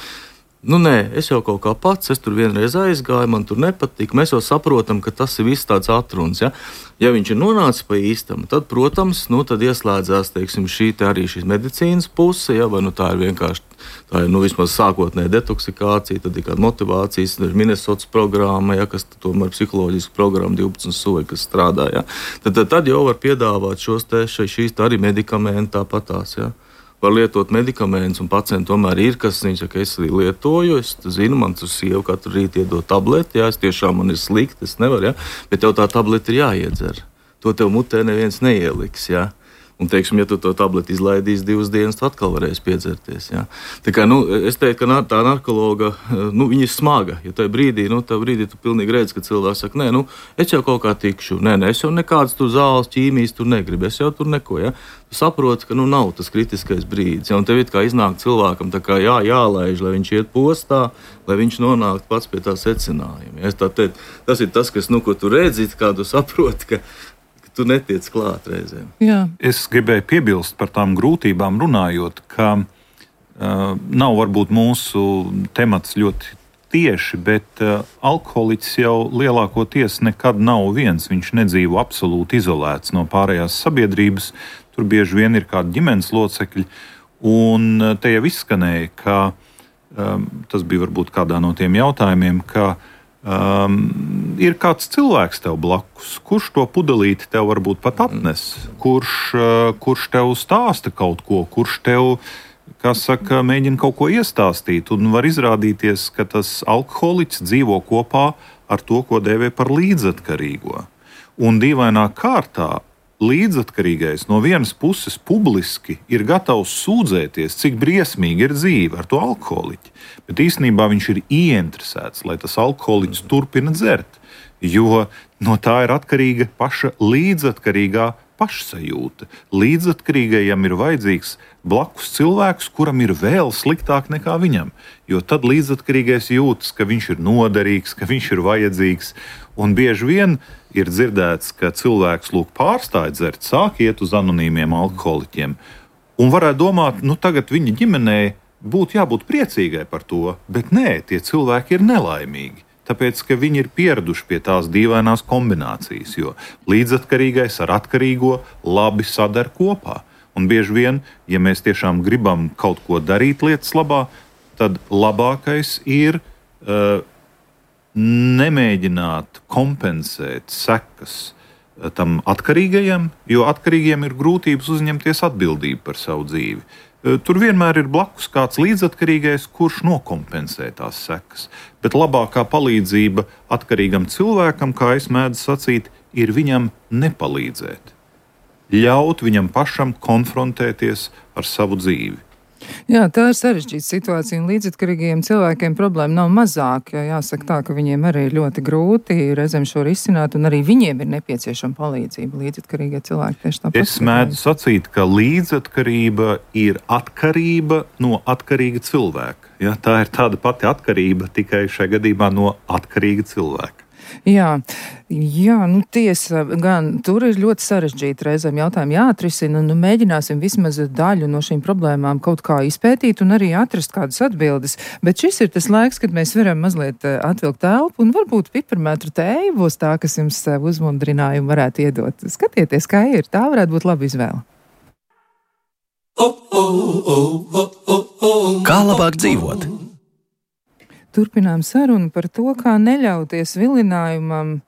Nu, nē, es jau kaut kā pats, es tur vienreiz aizgāju, man tur nepatika. Mēs jau saprotam, ka tas ir viss tāds atruns. Ja, ja viņš ir nonācis pa īstam, tad, protams, nu, tad ieslēdzās, teiksim, šī te arī šīs medicīnas puse, ja, vai nu tā ir vienkārši, tā ir, nu, vismaz sākotnēja detoksikācija, tad ir kāda motivācijas, tad ir Minnesotas programma, ja, kas tomēr psiholoģiska programma divpadsmit soļi, kas strādā, ja. Tad, tad, tad jau var piedāvāt šos te, šīs te arī medikamenti tāpatās, ja. Var lietot medikamentus, un pacienti tomēr ir, kas viņš saka, es arī lietoju, es zinu, man tur sieva katru rītu iedod tableti, jā, es tiešām man ir slikti, es nevaru, jā, bet tev tā tableti ir jāiedzer. To tev mutē neviens neieliks, jā. Un, teiksim, ja tu to tableti izlaidīsi divas dienas, tu atkal varēsi piedzerties, jā. Tā kā, nu, es teiktu, ka tā narkologa, nu, viņa ir smaga, jo tajā brīdī, nu, tajā brīdī tu pilnīgi redzi, ka cilvēks saka, nē, nu, es jau kaut kā tikšu, nē, nē, es jau nekādas tur zāles, ķīmijas tur negribu, es jau tur neko, jā. Tu saproti, ka, nu, nav tas kritiskais brīdis, jā, un tev it kā iznāk cilvēkam tā kā jā, jālaiž, lai viņš iet postā, lai viņš nonāktu pats pie tā secinājuma. Ja? Tā teikt, tas ir tas, kas, nu, ko tu redzi, kā tu saproti, ka tu netiec klāt reizēm. Jā. Es gribēju piebilst par tām grūtībām runājot, ka uh, nav varbūt mūsu temats ļoti tieši, bet uh, alkoholiķis jau lielākoties nekad nav viens. Viņš nedzīvo absolūti izolēts no pārējās sabiedrības. Tur bieži vien ir kādi ģimenes locekļi. Un uh, te jau izskanēja, ka um, tas bija varbūt kādā no tiem jautājumiem, ka um, ir kāds cilvēks tev blakus, kurš to pudelīti tev varbūt pat atnes, kurš, uh, kurš tev stāsta kaut ko, kurš tev, kā saka, mēģina kaut ko iestāstīt, un var izrādīties, ka tas alkoholiķis dzīvo kopā ar to, ko dēvē par līdzatkarīgo. Un dīvainā kārtā līdzatkarīgais no vienas puses publiski ir gatavs sūdzēties, cik briesmīgi ir dzīve ar to alkoholiķi, bet īstenībā viņš ir ieinteresēts, lai tas alkoholiķis turpina dzert, jo no tā ir atkarīga paša līdzatkarīgā pašsajūta. Līdzatkarīgajam ir vajadzīgs blakus cilvēks, kuram ir vēl sliktāk nekā viņam, jo tad līdzatkarīgais jūtas, ka viņš ir noderīgs, ka viņš ir vajadzīgs, un bieži vien ir dzirdēts, ka cilvēks lūk pārstāj dzert, sāk iet uz anonīmiem alkoholiķiem, un varētu domāt, nu tagad viņa ģimenei būtu jābūt priecīgai par to, bet nē, tie cilvēki ir nelaimīgi. Tāpēc, ka viņi ir pieraduši pie tās dīvainās kombinācijas, jo līdzatkarīgais ar atkarīgo labi sadar kopā. Un bieži vien, ja mēs tiešām gribam kaut ko darīt lietas labā, tad labākais ir uh, nemēģināt kompensēt sekas tam atkarīgajam, jo atkarīgajiem ir grūtības uzņemties atbildību par savu dzīvi. Tur vienmēr ir blakus kāds līdzatkarīgais, kurš nokompensē tās sekas. Bet labākā palīdzība atkarīgam cilvēkam, kā es mēdzu sacīt, ir viņam nepalīdzēt. Ļaut viņam pašam konfrontēties ar savu dzīvi. Jā, tā ir sarežģīta situācija, un līdzatkarīgajiem cilvēkiem problēma nav mazāk. Jāsaka tā, ka viņiem arī ir ļoti grūti reizēm šo risināt, un arī viņiem ir nepieciešama palīdzība. Līdzatkarīgie cilvēki tieši tāpat. Es mēdzu sacīt, ka līdzatkarība ir atkarība no atkarīga cilvēka. Ja, tā ir tāda pati atkarība, tikai šajā gadījumā no atkarīga cilvēka. Jā, jā, nu tiesa, gan tur ir ļoti sarežģīti reizēm jautājumi jāatrisina, un nu, mēģināsim vismaz daļu no šīm problēmām kaut kā izpētīt un arī atrast kādas atbildes. Bet šis ir tas laiks, kad mēs varam mazliet atvilkt telpu, un varbūt piparmētru tēju būs tā, kas jums uzmundrinājumu varētu iedot. Skatieties, kā ir, tā varētu būt laba izvēle. Kā labāk dzīvot? Turpinām sarunu par to, kā neļauties vilinājumam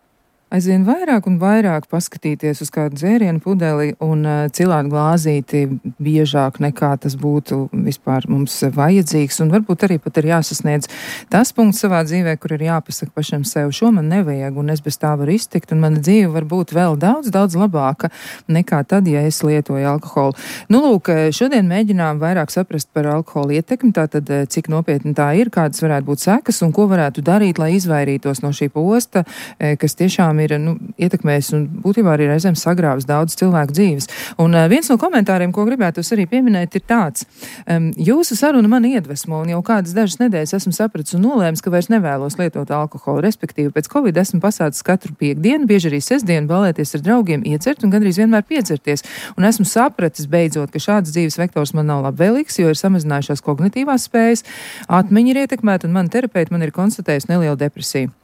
aizvien vairāk un vairāk paskatīties uz kādu dzērienu pudeli un uh, cilāt glāzīti biežāk nekā tas būtu vispār mums vajadzīgs, un varbūt arī pat ir jāsasniedz tas punkts savā dzīvē, kur ir jāpasaka pašam sev, šo man nevajag, un es bez tā varu iztikt, un mana dzīve var būt vēl daudz, daudz labāka nekā tad, ja es lietoju alkoholu. Nu, lūk, šodien mēģinām vairāk saprast par alkoholu ietekmi, tātad cik nopietni tā ir, kādas varētu būt sekas, un ko varētu darīt, lai izvairītos no šī posta, kas tiešām ir nu, ietekmējis un būtībā arī reizēm sagrāvis daudz cilvēku dzīves. Un uh, viens no komentāriem, ko gribētu arī pieminēt, ir tāds. Um, jūsu saruna mani iedvesmo, un jau kādas dažas nedēļas esmu sapratis un nolēmis, ka vairs nevēlos lietot alkoholu. Respektīvi, pēc Covid esmu pasācis katru piekdienu, bieži arī sestdienu balēties ar draugiem, iedzert un gandrīz vienmēr piedzerties. Un esmu sapratis beidzot, ka šāds dzīves vektors man nav labvēlīgs, jo ir samazinājušās kognitīvās spējas, atmiņa ir ietekmēta, un man terapeiti man ir konstatējusi nelielu depresiju.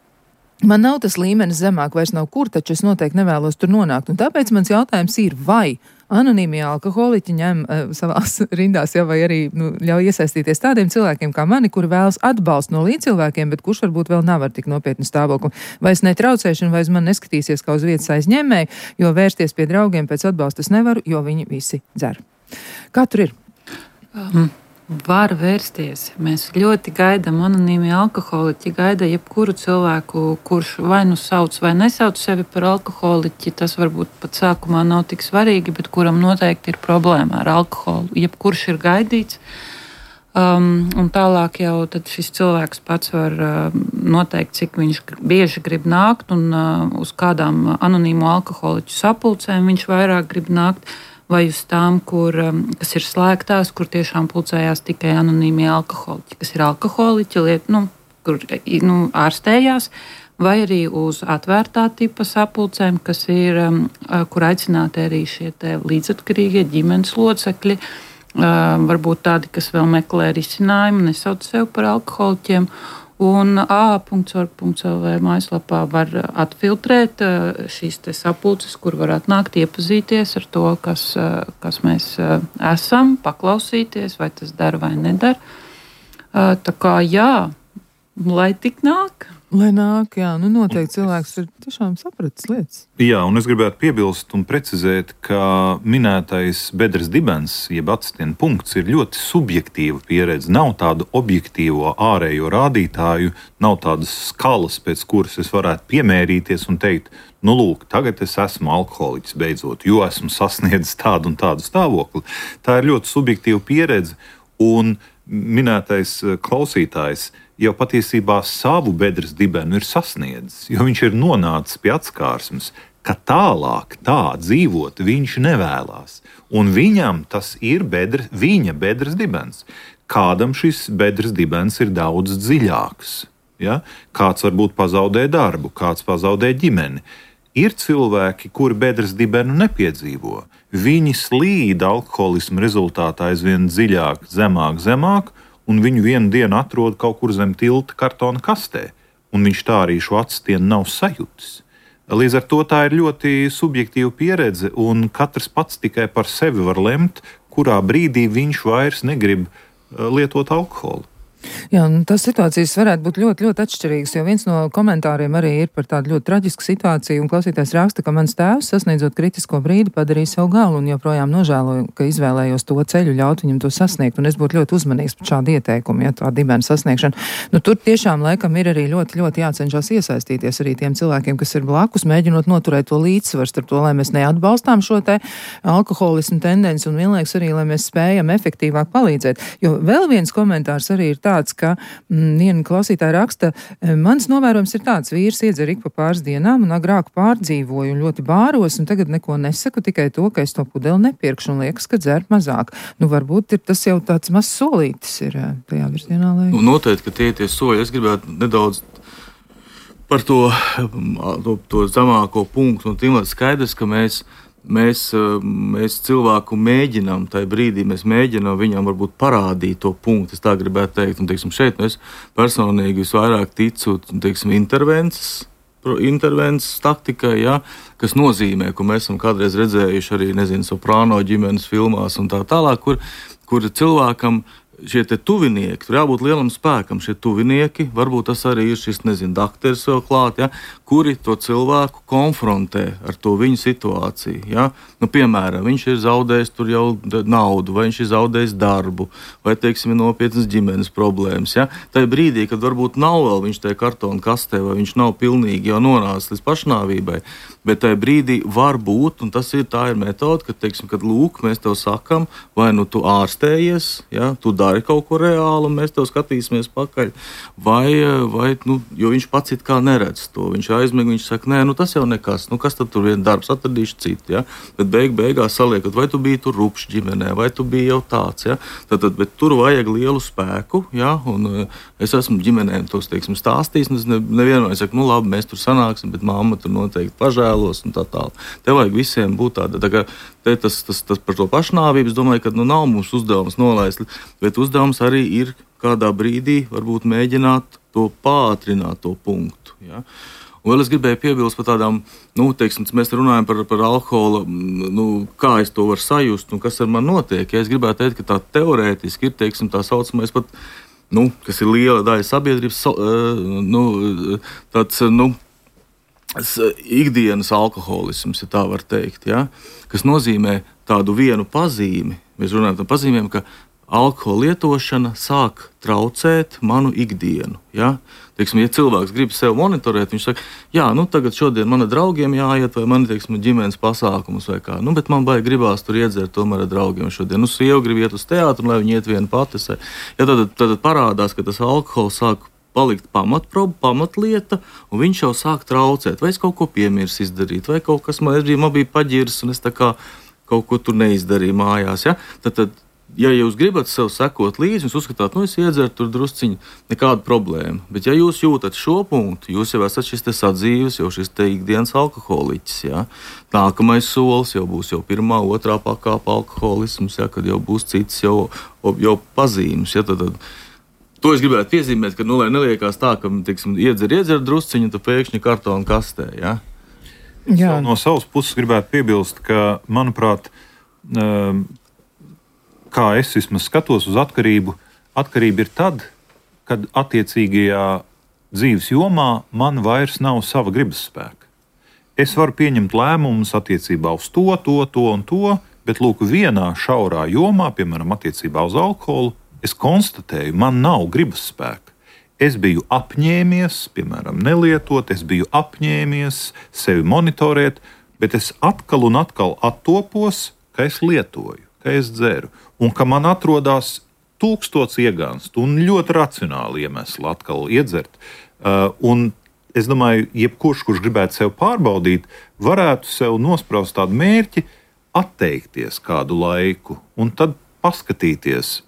Man nav tas līmenis zemāk, vairs nav kur, taču es noteikti nevēlos tur nonākt. Un tāpēc mans jautājums ir, vai anonīmie alkoholiķi ņem uh, savās rindās, ja, vai arī nu, ļauj iesaistīties tādiem cilvēkiem kā mani, kuri vēlas atbalstu no līdzcilvēkiem, bet kurš varbūt vēl nav ar tik nopietnu stāvokli. Vai es netraucēšu, vai uz mani neskatīsies kā uz vietas aizņēmēju, jo vērsties pie draugiem pēc atbalsta es nevaru, jo viņi visi dzer. Kā tur ir? Um. Var vērsties. Mēs ļoti gaidām anonīmi alkoholiķi, gaida jebkuru cilvēku, kurš vai nu sauc vai nesauc sevi par alkoholiķi. Tas varbūt pat sākumā nav tik svarīgi, bet kuram noteikti ir problēma ar alkoholu. Jebkurš ir gaidīts. Um, un tālāk jau tad šis cilvēks pats var uh, noteikt, cik viņš bieži grib nākt un uh, uz kādām anonīmu alkoholiķu sapulcēm viņš vairāk grib nākt. Vai uz tām, kur, kas ir slēgtās, kur tiešām pulcējās tikai anonīmie alkoholiķi, kas ir alkoholiķi, liet, nu, kur nu, ārstējās, vai arī uz atvērtā tipa sapulcēm, kas ir, kur aicināti arī šie līdzatkarīgie ģimenes locekļi, varbūt tādi, kas vēl meklē risinājumu, nesauc sev par alkoholiķiem. Un a punkts org punkts el vē mājaslapā var atfiltrēt šīs te sapulces, kur var atnākt iepazīties ar to, kas, kas mēs esam, paklausīties, vai tas dara vai nedara. Tā kā jā, lai tik nāk. Lai nāk, jā, nu noteikti cilvēks ir tiešām sapratis lietas. Jā, un es gribētu piebilst un precizēt, ka minētais bedres dibens, jeb atstiena punkts, ir ļoti subjektīva pieredze. Nav tādu objektīvo ārējo rādītāju, nav tādas skalas, pēc kuras es varētu piemērīties un teikt, nu lūk, tagad es esmu alkoholiķis beidzot, jo esmu sasniedzis tādu un tādu stāvokli. Tā ir ļoti subjektīva pieredze, un minētais klausītājs jau patiesībā savu bedres dibenu ir sasniedzis, jo viņš ir nonācis pie atskārsmes, ka tālāk tā dzīvot viņš nevēlās. Un viņam tas ir bedre, viņa bedres dibens. Kādam šis bedres dibens ir daudz dziļāks. Ja? Kāds varbūt pazaudē darbu, kāds pazaudē ģimeni. Ir cilvēki, kuri bedres dibenu nepiedzīvo. Viņi slīd alkoholismu rezultātā aizvien dziļāk, zemāk, zemāk, un viņu vienu dienu atrod kaut kur zem tilta kartona kastē, un viņš tā arī šo atstienu nav sajūtis. Līdz ar to tā ir ļoti subjektīva pieredze, un katrs pats tikai par sevi var lemt, kurā brīdī viņš vairs negrib lietot alkoholu. Jā, un tas situācijas varētu būt ļoti, ļoti atšķirīgas, jo viens no komentāriem arī ir par tādu ļoti traģisku situāciju, un klausītājs raksta, ka mans tēvs, sasniedzot kritisko brīdi, padarīja savu galu, un joprojām nožēloju, ka izvēlējos to ceļu, ļaut viņam to sasniegt, un es būtu ļoti uzmanīgs par šādu ieteikumu, ja tā dibena sasniegšana. Nu, tur tiešām laikam ir arī ļoti, ļoti jācenšas iesaistīties arī tiem cilvēkiem, kas ir blakus, mēģinot noturēt to līdzsvaru starp to, lai mēs neatbalstām šo te alkoholismu tendenci, un vienlaikus arī, lai mēs spējam efektīvāk palīdzēt. Jo vēl viens komentārs arī ir tāds, ka mm, viena klausītāja raksta, mans novērojums ir tāds, vīrs iedzer ik pa pāris dienām un agrāk pārdzīvoju un ļoti bāros, un tagad neko nesaku, tikai to, ka es to pudeli nepirkšu un liekas, ka dzer mazāk. Nu, varbūt ir tas jau tāds mazs solītis ir tajā virzienā, lai... Nu, noteikti, ka tie tie soļi, es gribētu nedaudz par to, to, to zemāko punktu, un tīmēt skaidrs, ka mēs Mēs, mēs cilvēku mēģinām, tajā brīdī mēs mēģinām viņam varbūt parādīt to punktu, es tā gribētu teikt. Un, teiksim, šeit mēs personīgi visvairāk ticu, teiksim, intervences, intervences taktikai, ja, kas nozīmē, ko mēs esam kādreiz redzējuši arī, nezinu, Soprāno ģimenes filmās un tā tālāk, kur, kur cilvēkam šie te tuvinieki, tur jābūt lielam spēkam, šie tuvinieki, varbūt tas arī ir šis, nezinu, dakteris vēl klāt, ja, kuri to cilvēku konfrontē ar to viņu situāciju, ja. Nu, piemēram, viņš ir zaudējis tur jau naudu, vai viņš ir zaudējis darbu, vai, teiksim, ir nopietnas ģimenes problēmas, ja. Tajā brīdī, kad varbūt nav vēl viņš tajā kartona kastē, vai viņš nav pilnīgi jau nonācis līdz pašnāvībai, bet tajā brīdī var būt, un tas ir, tā ir metode, ka, teiksim, kad lūk, mēs tev sakam, vai nu tu ārstējies, ja, tu dari kaut ko reālu, un mēs tev skatīsimies pakaļ, vai, vai nu, jo viņš pats it kā neredz to, viņš aizmig, viņš saka, nē, nu tas jau nekas, nu kas tad tur vien darbs, atradīšu citu, ja, bet beig, beigās saliekot, vai tu biji tur rupšs ģimenē, vai tu biji jau tāds, ja, tad, tad, bet tur vajag lielu spēku, ja, un es esmu ģimenēm tos, teiksim, stāstījis, un es ne, nevienmēr saku, nu labi, mēs tur sanāksim, bet mamma tur noteikti pažēlos, un tā tāl. Te vajag visiem būt tāda, tā kā te tas, tas, tas par to pašnāvību, es domāju, ka nu nav mums uzdevums nolaist, bet uzdevums arī ir kādā brīdī varbūt mēģināt to pātrināt to punktu, ja. Un vēl es gribēju piebilst par tādām, nu, teiksim, mēs runājam par, par alkohola, nu, kā es to varu sajust un kas ar man notiek. Ja es gribētu teikt, ka tā teorētiski ir, teiksim, tā saucamais pat, nu, kas ir liela daļa sabiedrības, nu, tāds, nu, ikdienas alkoholisms, ja tā var teikt, ja, kas nozīmē tādu vienu pazīmi. Mēs runājam par pazīmēm, ka alkohola lietošana sāk traucēt manu ikdienu. Ja? Teiksim, ja cilvēks grib sev monitorēt, viņš saka, jā, nu tagad šodien man ar draugiem jāiet, vai man, teiksim, ģimenes pasākumus vai kā. Nu, bet man baigi gribās tur iedzert tomēr ar draugiem šodien. Nu, sieva grib iet uz teātru, lai viņi iet viena pati. Ja, tad, tad parādās, ka tas alkohols sāk palikt pamatproba, pamatlieta, un viņš jau sāk traucēt. Vai es kaut ko piemirs izdarīt, vai kaut kas man, man bija paģirs, un es tā kā kaut ko tur neizdarīju mājās. Ja? Tad, tad, ja jūs gribat sev sekot līdzi, jūs uzskatāt, nu es iedzeru tur drusciņu, nekāda problēma. Bet ja jūs jūtat šo punktu, jūs jau esat šis te sadzīves, jau šis te ikdienas alkoholiķis. Ja? Nākamais solis jau būs jau pirmā, otrā pakāpa alkoholisms, ja? Kad jau būs cits jau, jau pazīmes. Ja? Tad, tad, To es gribētu piezīmēt, ka, nu, lai neliekās tā, ka, teiksim, iedzer, iedzer drusciņu, tu pēkšņi kartonu kastē, ja? Jā. No savas puses gribētu piebilst, ka, manuprāt, kā es vismaz skatos uz atkarību, atkarība ir tad, kad attiecīgajā dzīves jomā man vairs nav sava gribas spēka. Es varu pieņemt lēmumus attiecībā uz to, to, to un to, bet, lūk, vienā šaurā jomā, piemēram, attiecībā uz alkoholu, es konstatēju, man nav gribas spēka. Es biju apņēmies, piemēram, nelietot, es biju apņēmies sevi monitorēt, bet es atkal un atkal attopos, ka es lietoju, ka es dzeru, un ka man atrodas tūkstots iegānstu un ļoti racionāli iemesli atkal iedzert. Uh, un es domāju, jebkurš, kurš gribētu sev pārbaudīt, varētu sev nospraust tādu mērķi, atteikties kādu laiku un tad paskatīties,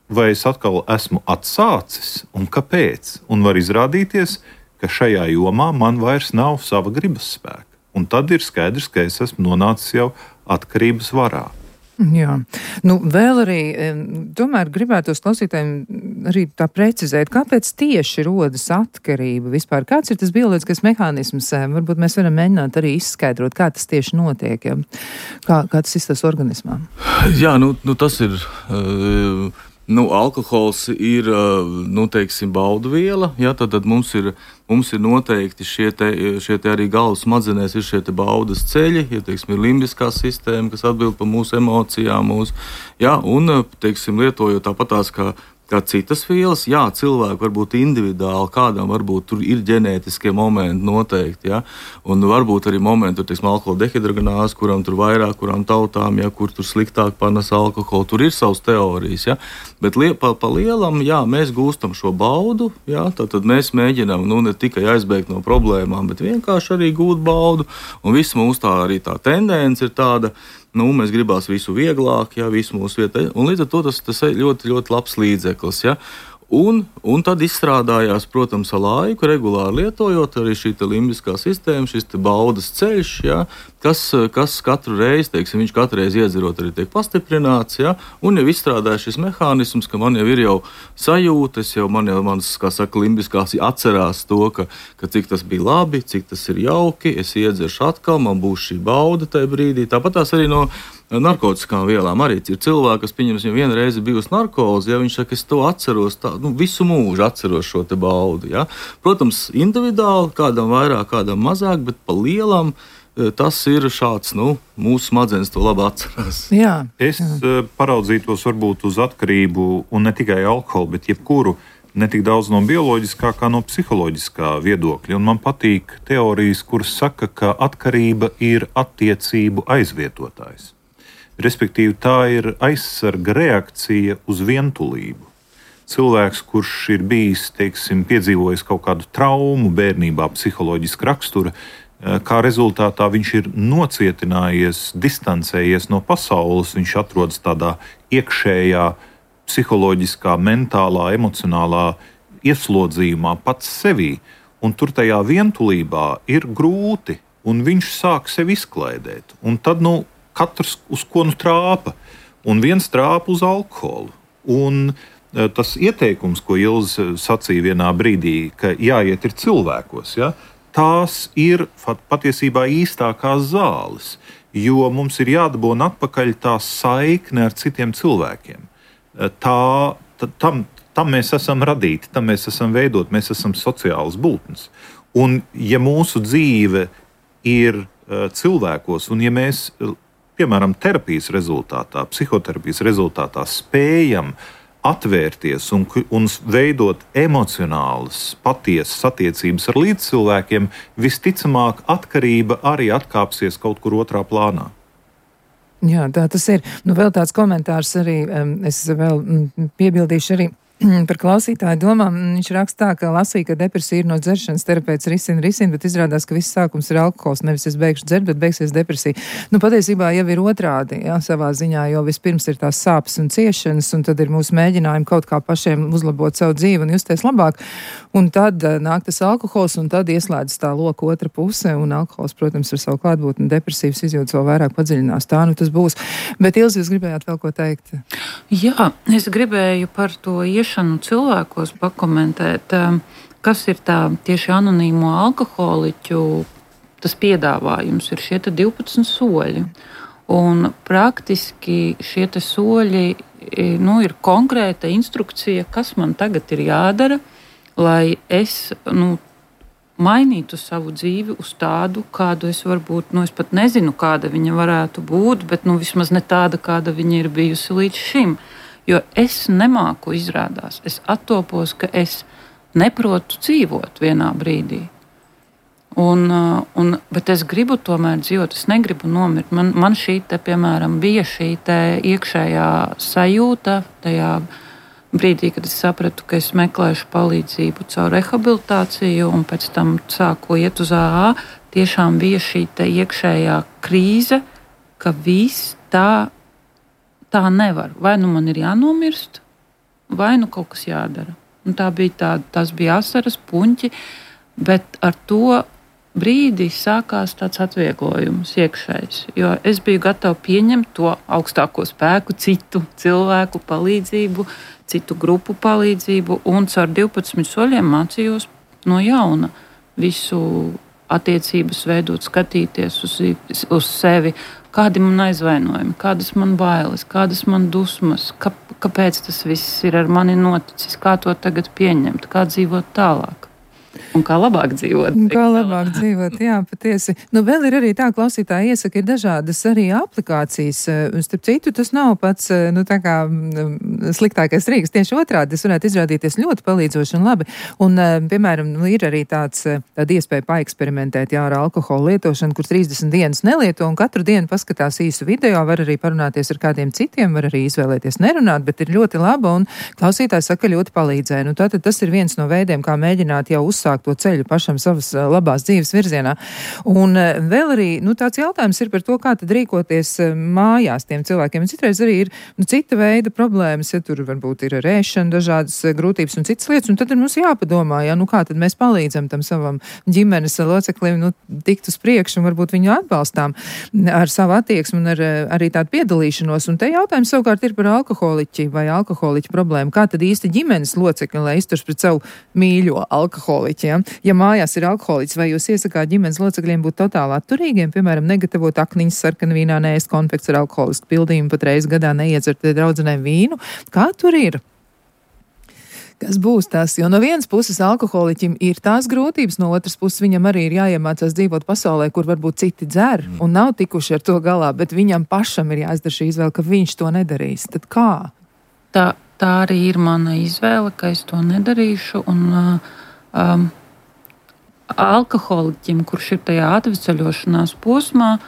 vai es atkal esmu atsācis un kāpēc. Un var izrādīties, ka šajā jomā man vairs nav sava gribas spēka. Un tad ir skaidrs, ka es esmu nonācis jau atkarības varā. Jā, nu vēl arī, tomēr gribētu tos klausītājiem arī tā precizēt, kāpēc tieši rodas atkarība vispār? Kāds ir tas bioloģiskais mehānisms? Varbūt mēs varam mēģināt arī izskaidrot, kā tas tieši notiek, ja? kā, kā tas izstāsta organismā. Jā, nu, nu tas ir... Uh... Nu, alkohols ir, nu, teiksim, baudu viela, ja, tad, tad mums, ir, mums ir noteikti šie te, šie te arī galvas smadzenēs ir šie te baudas ceļi, ja, teiksim, ir limbiskā sistēma, kas atbild par mūsu emocijām, mūsu, ja, un, teiksim, lietojot tāpatās kā kā citas vielas, jā, cilvēki varbūt individuāli, kādam varbūt tur ir ģenētiskie momenti noteikti, ja, un varbūt arī momenti, tur, teiksim, alkohola dehidrogenāze, kuram tur vairāk, kurām tautām, ja, kur tur sliktāk panes alkoholu, tur ir savas teorijas, ja, bet lie, pa, pa lielam, jā, mēs gūstam šo baudu, jā, tad, tad mēs mēģinām, nu, ne tikai aizbēgt no problēmām, bet vienkārši arī gūt baudu, un viss mūs tā arī tā tendence ir tāda, nu, mēs gribās visu vieglāk, jā, visu mūsu vietā, un līdz ar to tas, tas ir ļoti, ļoti labs līdzeklis, jā. Un, un tad izstrādājās, protams, ar laiku, regulāri lietojot arī šī limbiskā sistēma, šis baudas ceļš, ja, kas, kas katru reizi, teiksim, viņš katru reizi iedzerot arī tiek pastiprināts, ja, un jau izstrādāja šis mehānisms, ka man jau ir jau sajūtas, jau man jau mans, kā saka, limbiskās atcerās to, ka, ka cik tas bija labi, cik tas ir jauki, es iedzeršu atkal, man būs šī bauda tajā brīdī. Tāpat tās arī no narkotiskām vielām arī ir cilvēki, kas, pieņems, jau vienu reizi bijusi narkoze, ja viņš saka, es to atceros, tā, nu, visu mūžu atceros šo te baudu, ja. Protams, individuāli, kādam vairāk, kādam mazāk, bet pa lielam tas ir šāds, nu, mūsu smadzenes to labi atcerās. Jā. Es jā. paraudzītos varbūt uz atkarību, un ne tikai alkoholu, bet jebkuru, ne tik daudz no bioloģiskā, kā no psiholoģiskā viedokļa. Un man patīk teorijas, kuras saka, ka atkarība ir attiecību aizvietotājs. Respektīvi, tā ir aizsarga reakcija uz vientulību. Cilvēks, kurš ir bijis, teiksim, piedzīvojis kaut kādu traumu bērnībā, psiholoģiska rakstura, kā rezultātā viņš ir nocietinājies, distancējies no pasaules, viņš atrodas tādā iekšējā, psiholoģiskā, mentālā, emocionālā ieslodzījumā pats sevī. Un tur tajā vientulībā ir grūti, un viņš sāk sevi izklaidēt. Un tad, nu, katrs uz ko nu trāpa, un viens trāpa uz alkoholu. Un tas ieteikums, ko Ilze sacīja vienā brīdī, ka jāiet ir cilvēkos, ja, tās ir patiesībā īstākās zāles, jo mums ir jādabūna atpakaļ tā saikne ar citiem cilvēkiem. Tā, tā, tam, tam mēs esam radīti, tam mēs esam veidot, mēs esam sociālas būtnes. Un ja mūsu dzīve ir uh, cilvēkos, un ja mēs piemēram, terapijas rezultātā, psihoterapijas rezultātā spējam atvērties un, un veidot emocionālas, patiesas attiecības ar līdzcilvēkiem, visticamāk atkarība arī atkāpsies kaut kur otrā plānā. Jā, tā tas ir. Nu, vēl tāds komentārs arī, es vēl piebildīšu arī par klausītāju domām. Viņš raksta tā, ka lasīja, ka depresija ir no dzeršanas, terapeits risina, risina, bet izrādās, ka viss sākums ir alkohols, nevis es beigšu dzert, bet beigsies depresija. Nu, patiesībā jau ir otrādi, jā, savā ziņā, jo vispirms ir tās sāpes un ciešanas, un tad ir mūsu mēģinājumi kaut kā pašiem uzlabot savu dzīvi un justies labāk. Un tad nāk tas alkohols, un tad ieslēdz tā loka otra puse, un alkohols, protams, ar savu klātbūtni depresīvas izjūtas vēl vairāk padziļinās. Tā nu tas būs. Bet, Ilze, jūs gribējāt vēl ko teikt? Jā, es gribēju par to ieš iešanu cilvēkos pakomentēt, kas ir tā tieši anonīmo alkoholiķu tas piedāvājums, ir šie divpadsmit soļi. Un praktiski šie soļi nu, ir konkrēta instrukcija, kas man tagad ir jādara, lai es nu, mainītu savu dzīvi uz tādu, kādu es varbūt, nu, es pat nezinu, kāda viņa varētu būt, bet nu, vismaz ne tāda, kāda viņa ir bijusi līdz šim. Jo es nemāku izrādās, es attopos, ka es neprotu dzīvot vienā brīdī. Un, un, bet es gribu tomēr dzīvot, es negribu nomirt. Man, man šī te, piemēram, bija šī te iekšējā sajūta tajā brīdī, kad es sapratu, ka es meklēšu palīdzību caur rehabilitāciju un pēc tam sāku iet uz A A. Tiešām bija šī te iekšējā krīze, ka viss tā, tā nevar. Vai nu man ir jānomirst, vai nu kaut kas jādara. Un tā bija tā, tas bija asaras, puņķi, bet ar to brīdī sākās tāds atvieglojums iekšējs, jo es biju gatava pieņemt to augstāko spēku, citu cilvēku palīdzību, citu grupu palīdzību, un caur divpadsmit soļiem mācījos no jauna visu attiecības veidot, skatīties uz, uz sevi, kādi man aizvainojumi, kādas man bailes, kādas man dusmas, kā, kāpēc tas viss ir ar mani noticis, kā to tagad pieņemt, kā dzīvot tālāk. Un kā labāk dzīvot. Kā labāk dzīvot, jā, patiesi. Nu, vēl ir arī tā, klausītāji iesaka, ir dažādas arī aplikācijas. Starp citu, tas nav pats, nu, tā kā sliktākais rīks. Tieši otrādi, tas varētu izrādīties ļoti palīdzoši un labi. Un, piemēram, ir arī tāds, tāda iespēja paeksperimentēt, jā, ar alkoholu lietošanu, kur trīsdesmit dienas nelieto un katru dienu paskatās īsu video, var arī parunāties ar kādiem citiem, var arī izvēlēties nerunāt, bet ir ļoti laba un klausītājs saka, ļoti palīdzēja. Nu, tātad tas ir viens no veidiem, kā mēģināt jau uzsākt to ceļu pašam savas labās dzīves virzienā. Un vēl arī, nu, tāds jautājums ir par to, kā tad rīkoties mājās tiem cilvēkiem. Un citreiz arī ir, nu, cita veida problēmas, ja tur varbūt ir ar ēšanu, dažādas grūtības un citas lietas, un tad ir mums jāpadomā, ja, nu, kā tad mēs palīdzam tam savam ģimenes loceklim, nu, tikt uz priekšu un varbūt viņu atbalstām ar savu attieksmi un ar, arī tādu piedalīšanos. Un te jautājums savukārt ir par alkoholiķi vai alkoholiķu problēmu. Kā tad īsti ģimenes locekļi, lai izturs pret savu mīļo alkoholiķi? Ja? ja mājās ir alkoholiķis, vai jūs iesakāt ģimenes locekļiem būt totāli atturīgiem, piemēram, negatavot akniņas sarkanu vīnā, neēst konfekts ar alkoholisku pildījumu, pat reiz gadā neiedzert draudzenēm vīnu? Kā tur ir? Kas būs tas? Jo no vienas puses alkoholiķim ir tās grūtības, no otras puses viņam arī ir jāiemācās dzīvot pasaulē, kur varbūt citi dzer un nav tikuši ar to galā, bet viņam pašam ir jāizdara šī izvēle, ka viņš to nedarīs. Tad kā? Tā, tā arī ir mana izvēle, ka es to nedarīšu, un uh, Um, alkoholiķim, kurš ir tajā atvesaļošanās posmā,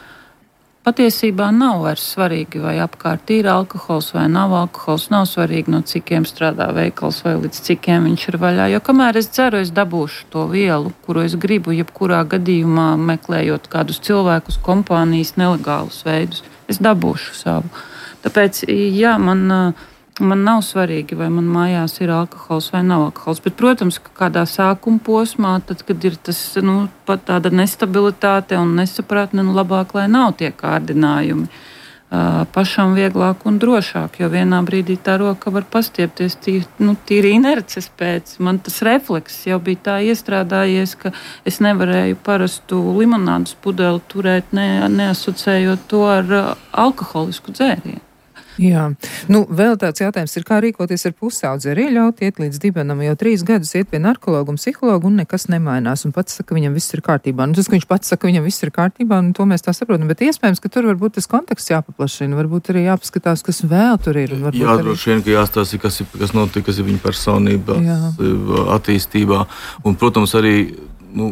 patiesībā nav vairs svarīgi, vai apkārt ir alkohols vai nav alkohols. Nav svarīgi, no cikiem strādā veikals vai līdz cikiem viņš ir vaļā. Jo kamēr es dzeru, es dabūšu to vielu, kuru es gribu, jebkurā gadījumā meklējot kādus cilvēkus, kompānijas, nelegālus veidus. Es dabūšu savu. Tāpēc, jā, man... Man nav svarīgi, vai man mājās ir alkohols vai nav alkohols. Bet, protams, ka kādā sākuma posmā, tad, kad ir tas, nu, pat tāda nestabilitāte un nesapratne, nu, labāk, lai nav tie kārdinājumi. Uh, pašam vieglāk un drošāk, jo vienā brīdī tā roka var pastiepties tīri, nu, tīri inerces pēc. Man tas refleks jau bija tā iestrādājies, ka es nevarēju parastu limonādes pudeli turēt, ne, neasociējot to ar uh, alkoholisku dzērienu. Jā, nu vēl tāds jautājums ir, kā rīkoties ar pusaudzi, arī ļaut iet līdz dibenam, jo trīs gadus iet pie narkologa un psihologa un nekas nemainās, un pats saka, viņam viss ir kārtībā. Nu, tas, ka viņš pats saka, viņam viss ir kārtībā, un to mēs tā saprotam, bet iespējams, ka tur varbūt tas konteksts jāpaplašina, varbūt arī jāpaskatās, kas vēl tur ir. Jā, droši vien, ka jāstāsta, kas, kas notika, kas ir viņa personībā, attīstībā, un, protams, arī Nu,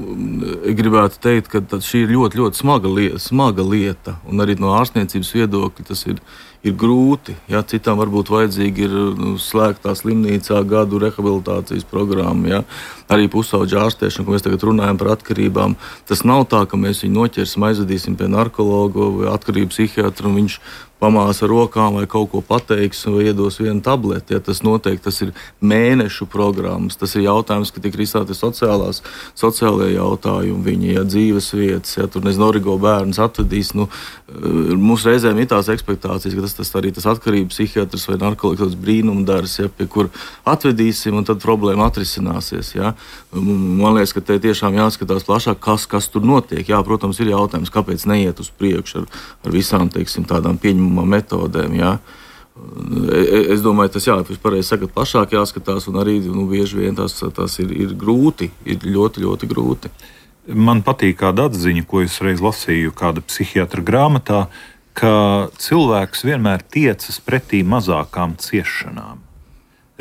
gribētu teikt, ka šī ir ļoti, ļoti smaga lieta, smaga lieta, un arī no ārstniecības viedokļa tas ir, ir grūti. Ja? Citām varbūt vajadzīgi ir nu, slēgtā slimnīcā gadu rehabilitācijas programma, ja? Arī pusauģa ārstēšana, ko mēs tagad runājam par atkarībām. Tas nav tā, ka mēs viņu noķersim, aizvedīsim pie narkologa vai atkarību psihiatra, un viņš pamās ar rokām vai kaut ko pateiks vai iedos vienu tableti. Ja, tas noteikti tas ir mēnešu programmas. Tas ir jautājums, ka tiek risināti sociālās, sociālajie jautājumi, viņa ja, dzīves vietas. Ja, tur nezinu, origo bērns atvedīs. Nu, mums reizēm ir tās ekspektācijas, ka tas, tas arī tas atkarības psihiatrs vai narkotikas brīnumdars, ja, pie kur atvedīsim, un tad problēma atrisināsies. Ja. Man liekas, ka te tiešām jāskatās plašāk, kas, kas tur notiek. Jā, protams, ir jautājums, kāpēc neiet uz priekšu ar, ar visām, teiksim, tādām pieņemamām metodēm. Ja. Es domāju, tas jā, jūs pareizi sakat, plašāk jāskatās, un arī nu, bieži vien tas, tas ir, ir grūti, ir ļoti, ļoti grūti. Man patīk kāda atziņa, ko es reiz lasīju kāda psihiatra grāmatā, ka cilvēks vienmēr tiecas pretī mazākām ciešanām.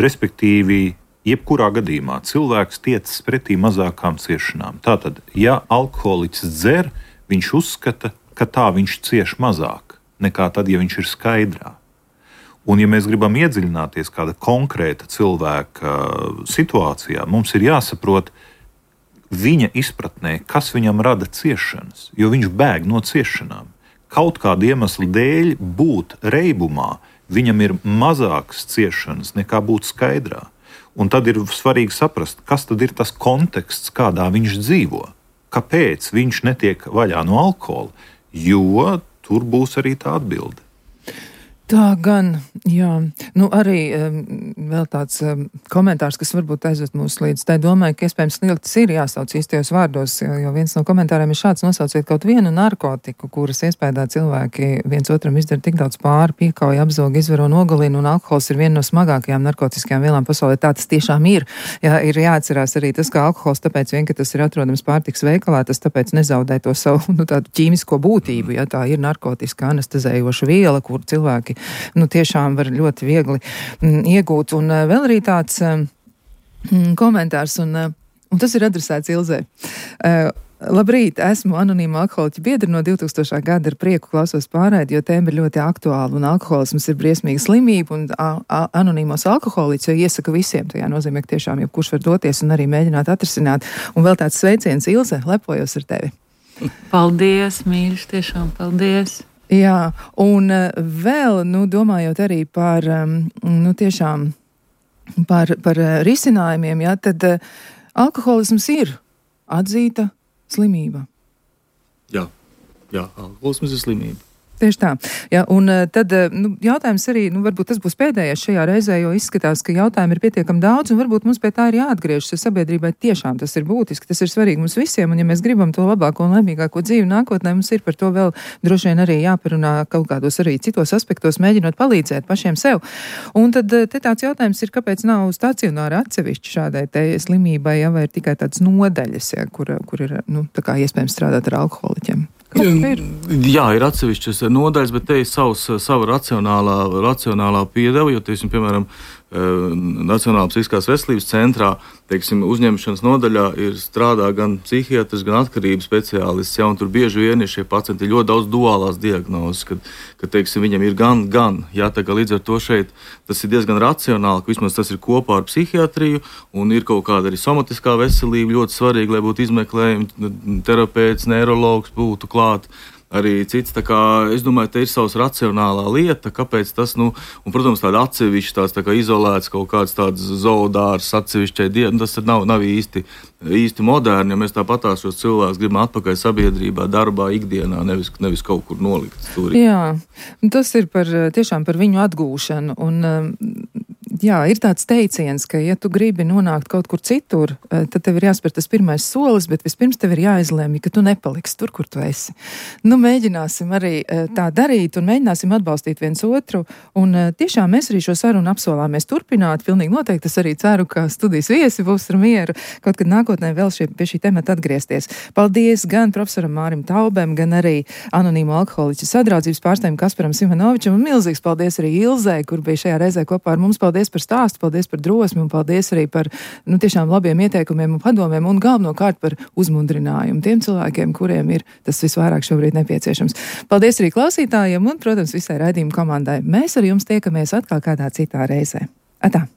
Respektīvi, jebkurā gadījumā cilvēks tiecas pretī mazākām ciešanām. Tātad, ja alkoholiķis dzer, viņš uzskata, ka tā viņš cieš mazāk nekā tad, ja viņš ir skaidrā. Un, ja mēs gribam iedziļināties kāda konkrēta cilvēka situācijā, mums ir jāsaprot viņa izpratnē, kas viņam rada ciešanas, jo viņš bēg no ciešanām. Kaut kāda iemesla dēļ būt reibumā, viņam ir mazākas ciešanas nekā būt skaidrā. Un tad ir svarīgi saprast, kas tad ir tas konteksts, kādā viņš dzīvo. Kāpēc viņš netiek vaļā no alkohola? Jo tur būs arī tā atbilde. Tā gan, jā. Nu, arī um, vēl tāds um, komentārs, kas varbūt aizved mūs līdz tai domai, ka iespējams sliktas ir jāsauc īstajos vārdos, jo, jo viens no komentāriem ir šāds: nosauciet kaut vienu narkotiku, kuras iespējā cilvēki viens otram izdara tik daudz pāri, piekauja, apzoga, izvaro, nogalina, un alkohols ir viena no smagākajām narkotiskajām vielām pasaulē. Tā tas tiešām ir. Jā, ir jāatcerās arī tas, ka alkohols tāpēc vien, ka tas ir atrodams pārtiks veikalā, tas tāpēc nezaudē to savu, nu, tādu ķīmisko būtību. Jā, tā ir narkotiska anestezējoša viela, kur cilvēki nu, tiešām var ļoti viegli mm, iegūt. Un uh, vēl arī tāds mm, komentārs, un, uh, un tas ir adresēts Ilzei. Uh, Labrīt, esmu anonīma alkoholiķa biedra no divtūkstošā gada, ar prieku klausos pārēdi, jo tēma ir ļoti aktuāla, un alkoholisms ir briesmīga slimība, un a, a, anonīmos alkoholiķus iesaka visiem. Tajā nozīmē, ka tiešām jebkurš var doties un arī mēģināt atrisināt. Un vēl tāds sveiciens, Ilze, lepojos ar tevi. Paldies, mīļš, tiešām paldies. Jā, un vēl, nu, domājot arī par, nu, tiešām par, par risinājumiem, jā, tad alkoholisms ir atzīta slimība. Jā, jā, alkoholisms ir slimība. Tieši tā. Jā, un tad nu, jautājums arī, nu, varbūt tas būs pēdējais šajā reizē, jo izskatās, ka jautājumi ir pietiekami daudz, un varbūt mums pie tā ir jāatgriežas, jo sabiedrībai tiešām tas ir būtiski, tas ir svarīgi mums visiem, un ja mēs gribam to labāko un laimīgāko dzīvi nākotnē, mums ir par to vēl droši vien arī jāparunā kaut kādos arī citos aspektos, mēģinot palīdzēt pašiem sev. Un tad te tāds jautājums ir, kāpēc nav stacionāra atsevišķi šādai te slimībai, ja, vai ir tikai tāds nodaļas, ja, kur, kur ir, nu, tā kā iespējams strādāt ar alkoholiķiem. Ir? Jā, ir atsevišķas nodaļas, bet te ir savs, sava racionālā, racionālā piedeva, jo, teiksim, piemēram, Nacionālā psihiskās veselības centrā, teiksim, uzņemšanas nodaļā ir strādā gan psihiatrs, gan atkarības speciālists, ja, un tur bieži vien ir šie pacienti ļoti daudz duālās diagnozes, kad, kad teiksim, viņam ir gan, gan, jā, tā kā līdz ar to šeit tas ir diezgan racionāli, ka vismaz tas ir kopā ar psihiatriju, un ir kaut kāda arī somatiskā veselība, ļoti svarīgi, lai būtu izmeklējumi, terapeits, neirologs būtu klāt. Arī cits, tā kā, es domāju, te ir savs racionālā lieta, kāpēc tas, nu, un, protams, tāda atsevišķa, tās tā kā izolēts kaut kāds tāds zoodārs atsevišķai dienu, tas nav, nav īsti, īsti moderni, ja mēs tāpatās šos cilvēkus gribam atpakaļ sabiedrībā, darbā, ikdienā, nevis, nevis kaut kur nolikt stūrī. Jā, tas ir par, tiešām par viņu atgūšanu, un jā, ir tāds teiciens, ka, ja tu gribi nonākt kaut kur citur, tad tev ir jāspēr tas pirmais solis, bet vispirms tev ir jāizlēmj, ka tu nepaliksi tur, kur tu esi. Nu, mēģināsim arī tā darīt un mēģināsim atbalstīt viens otru, un tiešām mēs arī šo sarunu apsolāmies turpināt. Pilnīgi noteikti es arī ceru, ka studijas viesi būs ar mieru kaut kad nākotnē vēl šie, pie šī temata atgriezties. Paldies gan profesoram Mārim Taubem, gan arī anonīmo alkoholiķu sadraudzības pārstāvim Kasparam Simonovičam, un milzīgs paldies arī Ilzei, kur bija šajā reizē kopā ar mums. Paldies par stāstu, paldies par drosmi un paldies arī par, nu, tiešām labiem ieteikumiem un padomiem un galvenokārt par uzmundrinājumu tiem cilvēkiem, kuriem ir tas visvairāk šobrīd nepieciešams. Paldies arī klausītājiem un, protams, visai raidījuma komandai. Mēs ar jums tiekamies atkal kādā citā reizē. Atā!